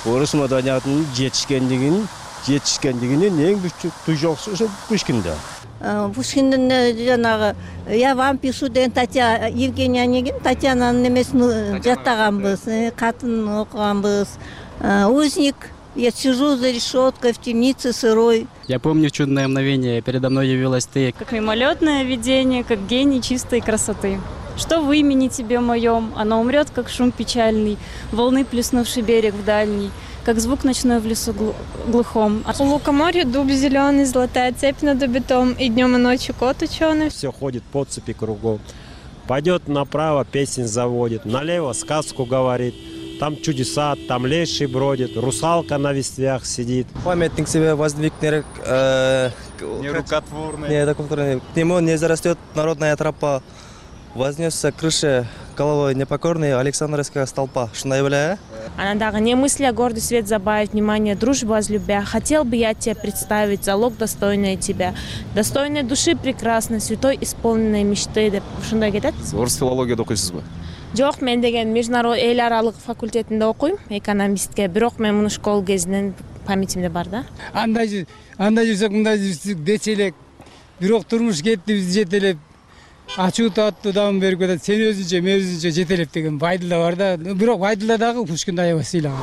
орус маданиятынын жетишкендигин жетишкендигинин эң түйжоксу ошо Пушкинде. Пушкиндин жанагы «Я вам пишу» деген Евгения Онегин Татьянанын немесин жаттаганбыз, катын окуганбыз. Узник, я сижу за решеткой в темнице сырой. Я помню чудное мгновение, передо мной явилась ты. Как мимолетное видение, как гений чистой красоты. Что в имени тебе моем, оно умрет, как шум печальный, волны, плеснувший берег в дальний, как звук ночной в лесу глухом. У лукоморья дуб зеленый, золотая цепь над убитом, и днем и ночью кот ученый. Все ходит по цепи кругом. Пойдет направо, песнь заводит, налево сказку говорит. Там чудеса, там леший бродит, русалка на ветвях сидит. Памятник себе воздвиг нерукотворный. К нему не зарастет народная тропа. Вознесся к крыше головой непокорный Александровская столпа. Шундай беле? Она дагы не мысля гордый свет забавить, внимание дружбу возлюбя. Хотел бы я тебе представить залог достойный тебя. Достойной души прекрасной, святой исполненной мечты деп ушундай кетет. Орус филологияда окуйсузбу? Жок, мен деген международный эл аралык факультетинде окуйм, экономистке. Бирок мен муну школ кезинен памятимде бар да. Андай жүрсөк, мындай жүрсөк дече элек. Бирок турмуш кетти, биз жетелеп. Ачуу тааттуу дам берип кетет. Сен өзүнчө, мен өзүнчө жетелеп деген Байдылда бар да. Бирок Байдылда дагы Пушкинди аябай сыйлаган.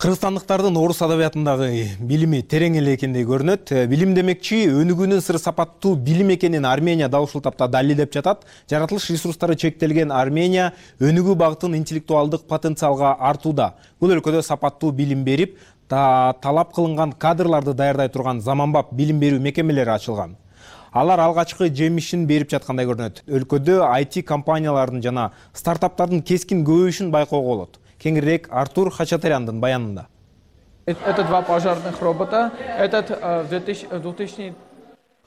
Кыргызстандыктардын орус адабиятындагы билими терең эле экендей көрүнөт. Билим демекчи өнүгүүнүн сыры сапаттуу билим экенин Армения дал ушул тапта далилдеп жатат. Жаратылыш ресурстары чектелген Армения өнүгүү багытын интеллектуалдык потенциалга артууда. Бул өлкөдө сапаттуу билим берип, талап кылынган кадрларды даярдай турган заманбап билим берүү мекемелери ачылган. Алар алгачкы жемишин берип жаткандай көрүнөт. Өлкөдө IT компаниялардын жана стартаптардын кескин көбөйүшүн байкоого болот. Кеңирээк Артур Хачатаряндын баянында. Это 2 пожарных робота. Этот 2000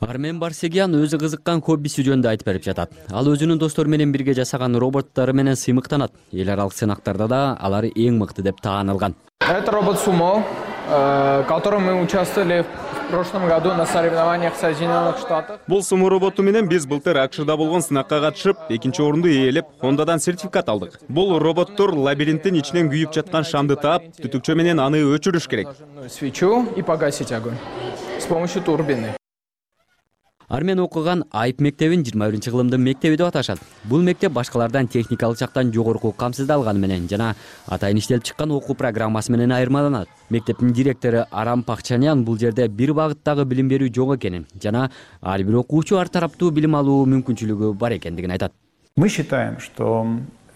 Армен Барсегян өзү кызыккан хоббиси жөнүндө айтып берип жатат. Ал өзүнүн достору менен бирге жасаган роботтору менен сыймыктанат. Эл аралык сынактарда да алар эң мыкты деп таанылган. Это робот Сумо, в котором мы участвовали в прошлом году на соревнованиях в Соединенных Штатах. Бул Сумо роботу менен биз былтыр АКШда болгон сынакка катышып, экинчи орунду ээлеп, Hondaдан сертификат алдык. Бул роботтор лабиринттин ичинен күйүп жаткан шамды таап, түтүкчө менен аны өчүрүш керек. Свечу и погасить огонь с помощью турбины. Армен окуган Айып мектебин 21-кылымдын мектеби деп аташат. Бул мектеп башкалардан техникалык жактан жогорку камсыздалганы менен жана атайын иштелип чыккан окуу программасы менен айырмаланат. Мектептин директору Арам Пакчанян бул жерде бир багыттагы билим берүү жок экенин жана ар бир окуучу ар тараптуу билим алуу мүмкүнчүлүгү бар экендигин айтат. Мы считаем, что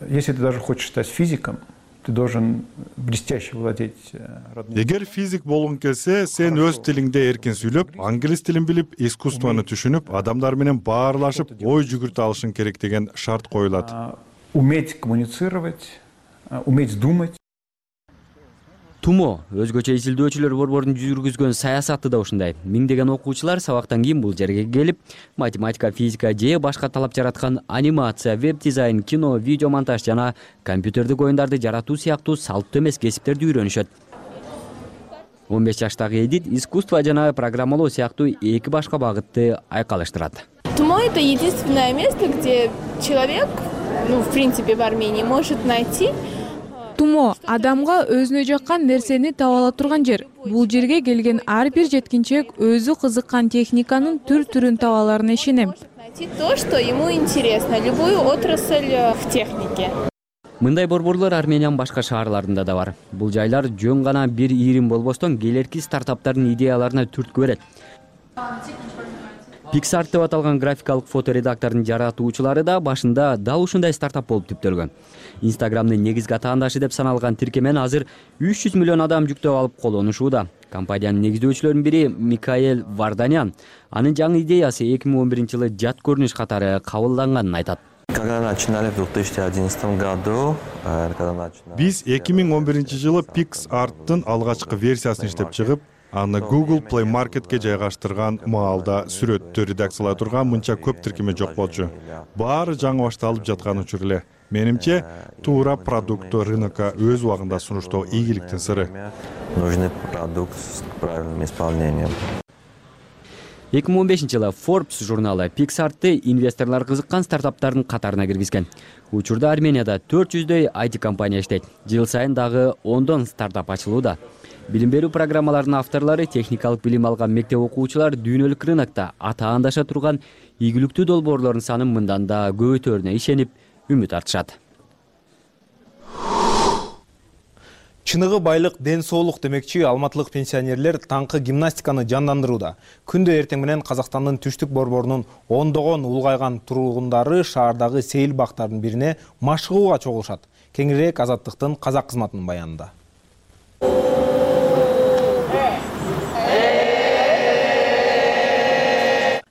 если ты даже хочешь стать физиком, ты должен блестяще владеть родным. Эгер физик болгуң келсе, сен өз тилиңде эркин сүйлөп, англис тилин билип, искусствону түшүнүп, адамдар менен баарлашып, ой жүгүртө алышың керек деген шарт коюлат. Уметь коммуницировать, уметь думать. Тумо өзгөчө изилдөөчүлөр борборунун жүргүзгөн саясаты да ушундай. Миңдеген окуучулар сабактан кийин бул жерге келип, математика, физика же башка талап жараткан анимация, веб дизайн, кино, видео монтаж жана компьютердик оюндарды жаратуу сыяктуу салттуу эмес кесиптерди үйрөнүшөт. 15 жаштагы Эдит искусство жана программалоо сыяктуу эки башка багытты айкалыштырат. Тумо — это единственное место, где человек, в принципе, в Армении может найти. Тумо адамга өзүнө жаккан нерсени таба ала турган жер. Бул жерге келген ар бир жеткинчек өзү кызыккан техниканын түр-түрүн таба аларына ишенем. Найти то, что ему интересно, любую отрасль в технике. Мындай борборлор Армениянын башка шаарларында да бар. Бул жайлар жөн гана бир ийрим болбостон келерки стартаптардын идеяларына түрткү берет. Pixart деп аталган графикалык фоторедактордун жаратуучулары да башында дал ушундай стартап болуп түптөлгөн. Instagram'дын негизги атаандашы деп саналган тиркемен азыр 300 миллион адам жүктөп алып колдонушууда. Компаниянын негиздөөчүлөрүнүн бири Микаэль Варданян анын жаңы идеясы 2011-жылы жат көрүнүш катары кабылданганын айтат. Биз 2011-жылы Pixart'тын алгачкы версиясын иштеп чыгып, аны Google Play Market'ке жайгаштырган маалда сүрөттү редакциялай турган мынча көп тиркеме жок болчу. Баары жаңы башталып жаткан учур эле. Менимче, туура продукту рынокко өз убагында сунуштоо ийгиликтин сыры. Нужный продукт с правильным исполнением. 2015-жылы Forbes журналы Pixart'ты инвесторлор кызыккан стартаптардын катарына киргизген. Учурда Арменияда 400дөй IT компания иштейт. Жыл сайын дагы 10 стартап ачылууда. Билим берүү программаларынын авторлору техникалык билим алган мектеп окуучулар дүйнөлүк рынокто атаандаша турган ийгиликтүү долбоорлордун санын мындан да көбөйтөрүнө ишенип, үмүт артышат. Чыныгы байлык ден соолук демекчи алматылык пенсионерлер таңкы гимнастиканы жандандырууда. Күндө эртең менен Казакстандын түштүк борборунун ондогон улгайган тургундары шаардагы сейил бактардын бирине машыгууга чогулушат. Кеңирээк Азаттыктын казак кызматынын баянында.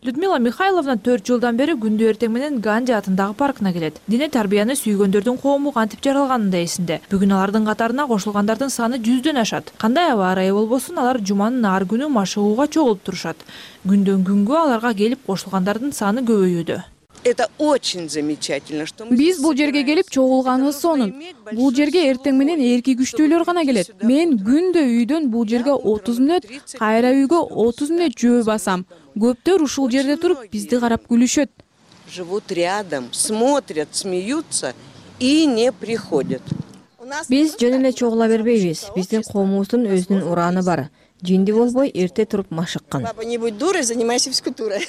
Людмила Михайловна 4 жылдан бери күндө эртең менен Ганди атындагы паркына келет. Дине тарбияны сүйгөндөрдүн коому кантип жаралганын да эсинде. Бүгүн алардын катарына кошулгандардын саны 100дөн ашат. Кандай аба ырайы болбосун, алар жуманын ар күнү машыгууга чогулуп турушат. Күндөн күнгө аларга келип кошулгандардын саны көбөйүүдө. Это очень замечательно, что Биз бул жерге келип чогулганыбыз сонун. Бул жерге эртең менен эрки күчтүүлөр гана келет. Мен күндө үйдөн бул жерге 30 мүнөт, кайра үйгө 30 мүнөт жөө басам. Көптөр ушул жерде туруп бизди карап күлүшөт. Живут рядом, смотрят, смеются и не приходят. Биз жөн эле чогула бербейбиз. Биздин коомубуздун өзүнүн ураны бар. Жинди болбой эрте туруп машыккан. Папа, не будь дурой, занимайся физкультурой.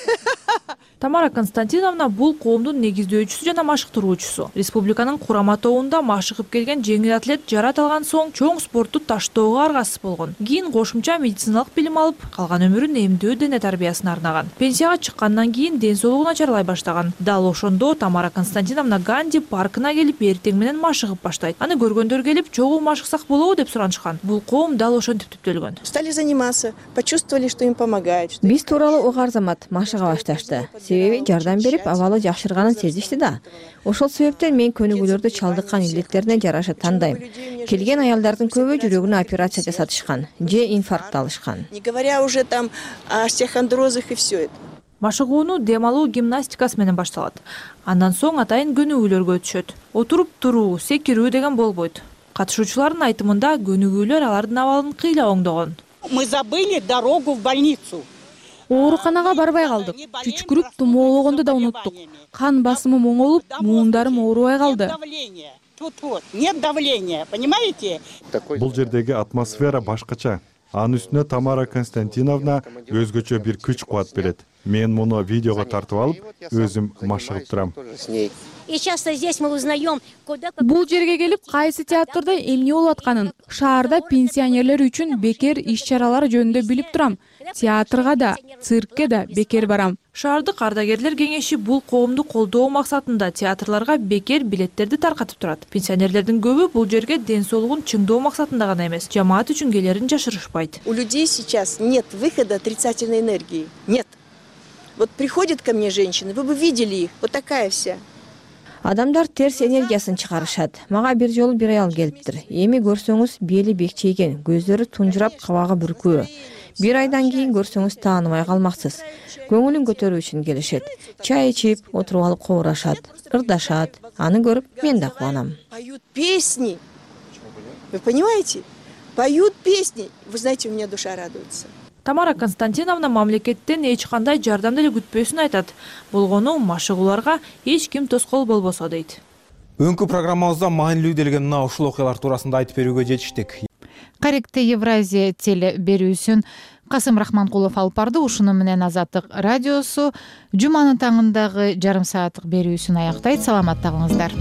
Тамара Константиновна бул коомдун негиздөөчүсү жана машыктыруучусу. Республиканын Курама тоуунда машыгып келген жеңил атлет жарат алган соң чоң спортту таштоого аргасыз болгон. Кийин кошумча медициналык билим алып, калган өмүрүн эмдөө дене тарбиясына арнаган. Пенсияга чыккандан кийин ден соолугу начарлай баштаган. Дал ошондо Тамара Константиновна Ганди паркына келип эртең менен машыгып баштайт. Аны көргөндөр келип, чогуу машыксак болобу деп суранышкан. Бул коом дал ошентип түптөлгөн. Стали заниматься, почувствовали, что им помогает. Биз тууралуу угаар замат машыга башташты. Себеби жардам берип, абалы жакшырганын сезишти да. Ошол себептен мен көнүгүүлөрдү чалдыккан илдеттерине жараша тандайм. Келген аялдардын көбү жүрөгүнө операция жасатышкан, же инфаркт алышкан. Не говоря уже там о остеохондрозах и все это. Машыгууну дем алуу гимнастикасы менен башталат. Андан соң атайын көнүгүүлөргө өтүшөт. Отуруп туруу, секирүү деген болбойт. Катышуучулардын айтымында көнүгүүлөр алардын абалын кыйла оңдогон. Мы забыли дорогу в больницу. Ооруканага барбай калдык. Чүчкүрүп тумоологонду да унуттук. Кан басымым оңолуп, муундарым оорубай калды. Тут вот, нет давления, понимаете? Бул жердеги атмосфера башкача. Анын үстүнө Тамара Константиновна өзгөчө бир күч кубат берет. Мен муну видеого тартып алып, өзүм машыгып турам. И часто здесь мы узнаем, куда... Бул жерге келип, кайсы театрда эмне болуп атканын, шаарда пенсионерлер үчүн бекер иш-чаралар жөнүндө билип турам. Театрга да, циркке да бекер барам. Шаардык ардагерлер кеңеши бул коомду колдоо максатында театрларга бекер билеттерди таркатып турат. Пенсионерлердин көбү бул жерге ден соолугун чыңдоо максатында гана эмес, жамаат үчүн келерин жашырышпайт. У людей сейчас нет выхода отрицательной энергии. Нет. Вот приходят ко мне женщины, вы бы видели их, вот такая вся. Адамдар терс энергиясын чыгарышат. Мага бир жолу бир аял келиптир. Эми көрсөңүз бели бекчейген, көздөрү тунжурап, кабагы бүркүү. Бир айдан кийин көрсөңүз тааныбай калмаксыз. Көңүлүн көтөрүү үчүн келишет. Чай ичип, отуруп алып коорашат, ырдашат. Аны көрүп мен да кубанам. Поют песни. Вы понимаете? Поют песни. Вы знаете, у меня душа радуется. Тамара Константиновна мамлекеттен эч кандай жардам деле күтпөсүн айтат. Болгону машыгууларга эч ким тоскоол болбосо дейт. Өңкү программабызда маанилүү делген мына ушул окуялар туурасында айтып берүүгө жетиштик. Каректе Евразия теле берүүсүн Касым Рахманкулов алып барды. Ушуну менен Азаттык радиосу жуманын таңындагы жарым сааттык берүүсүн аяктайт. Саламатта калыңыздар.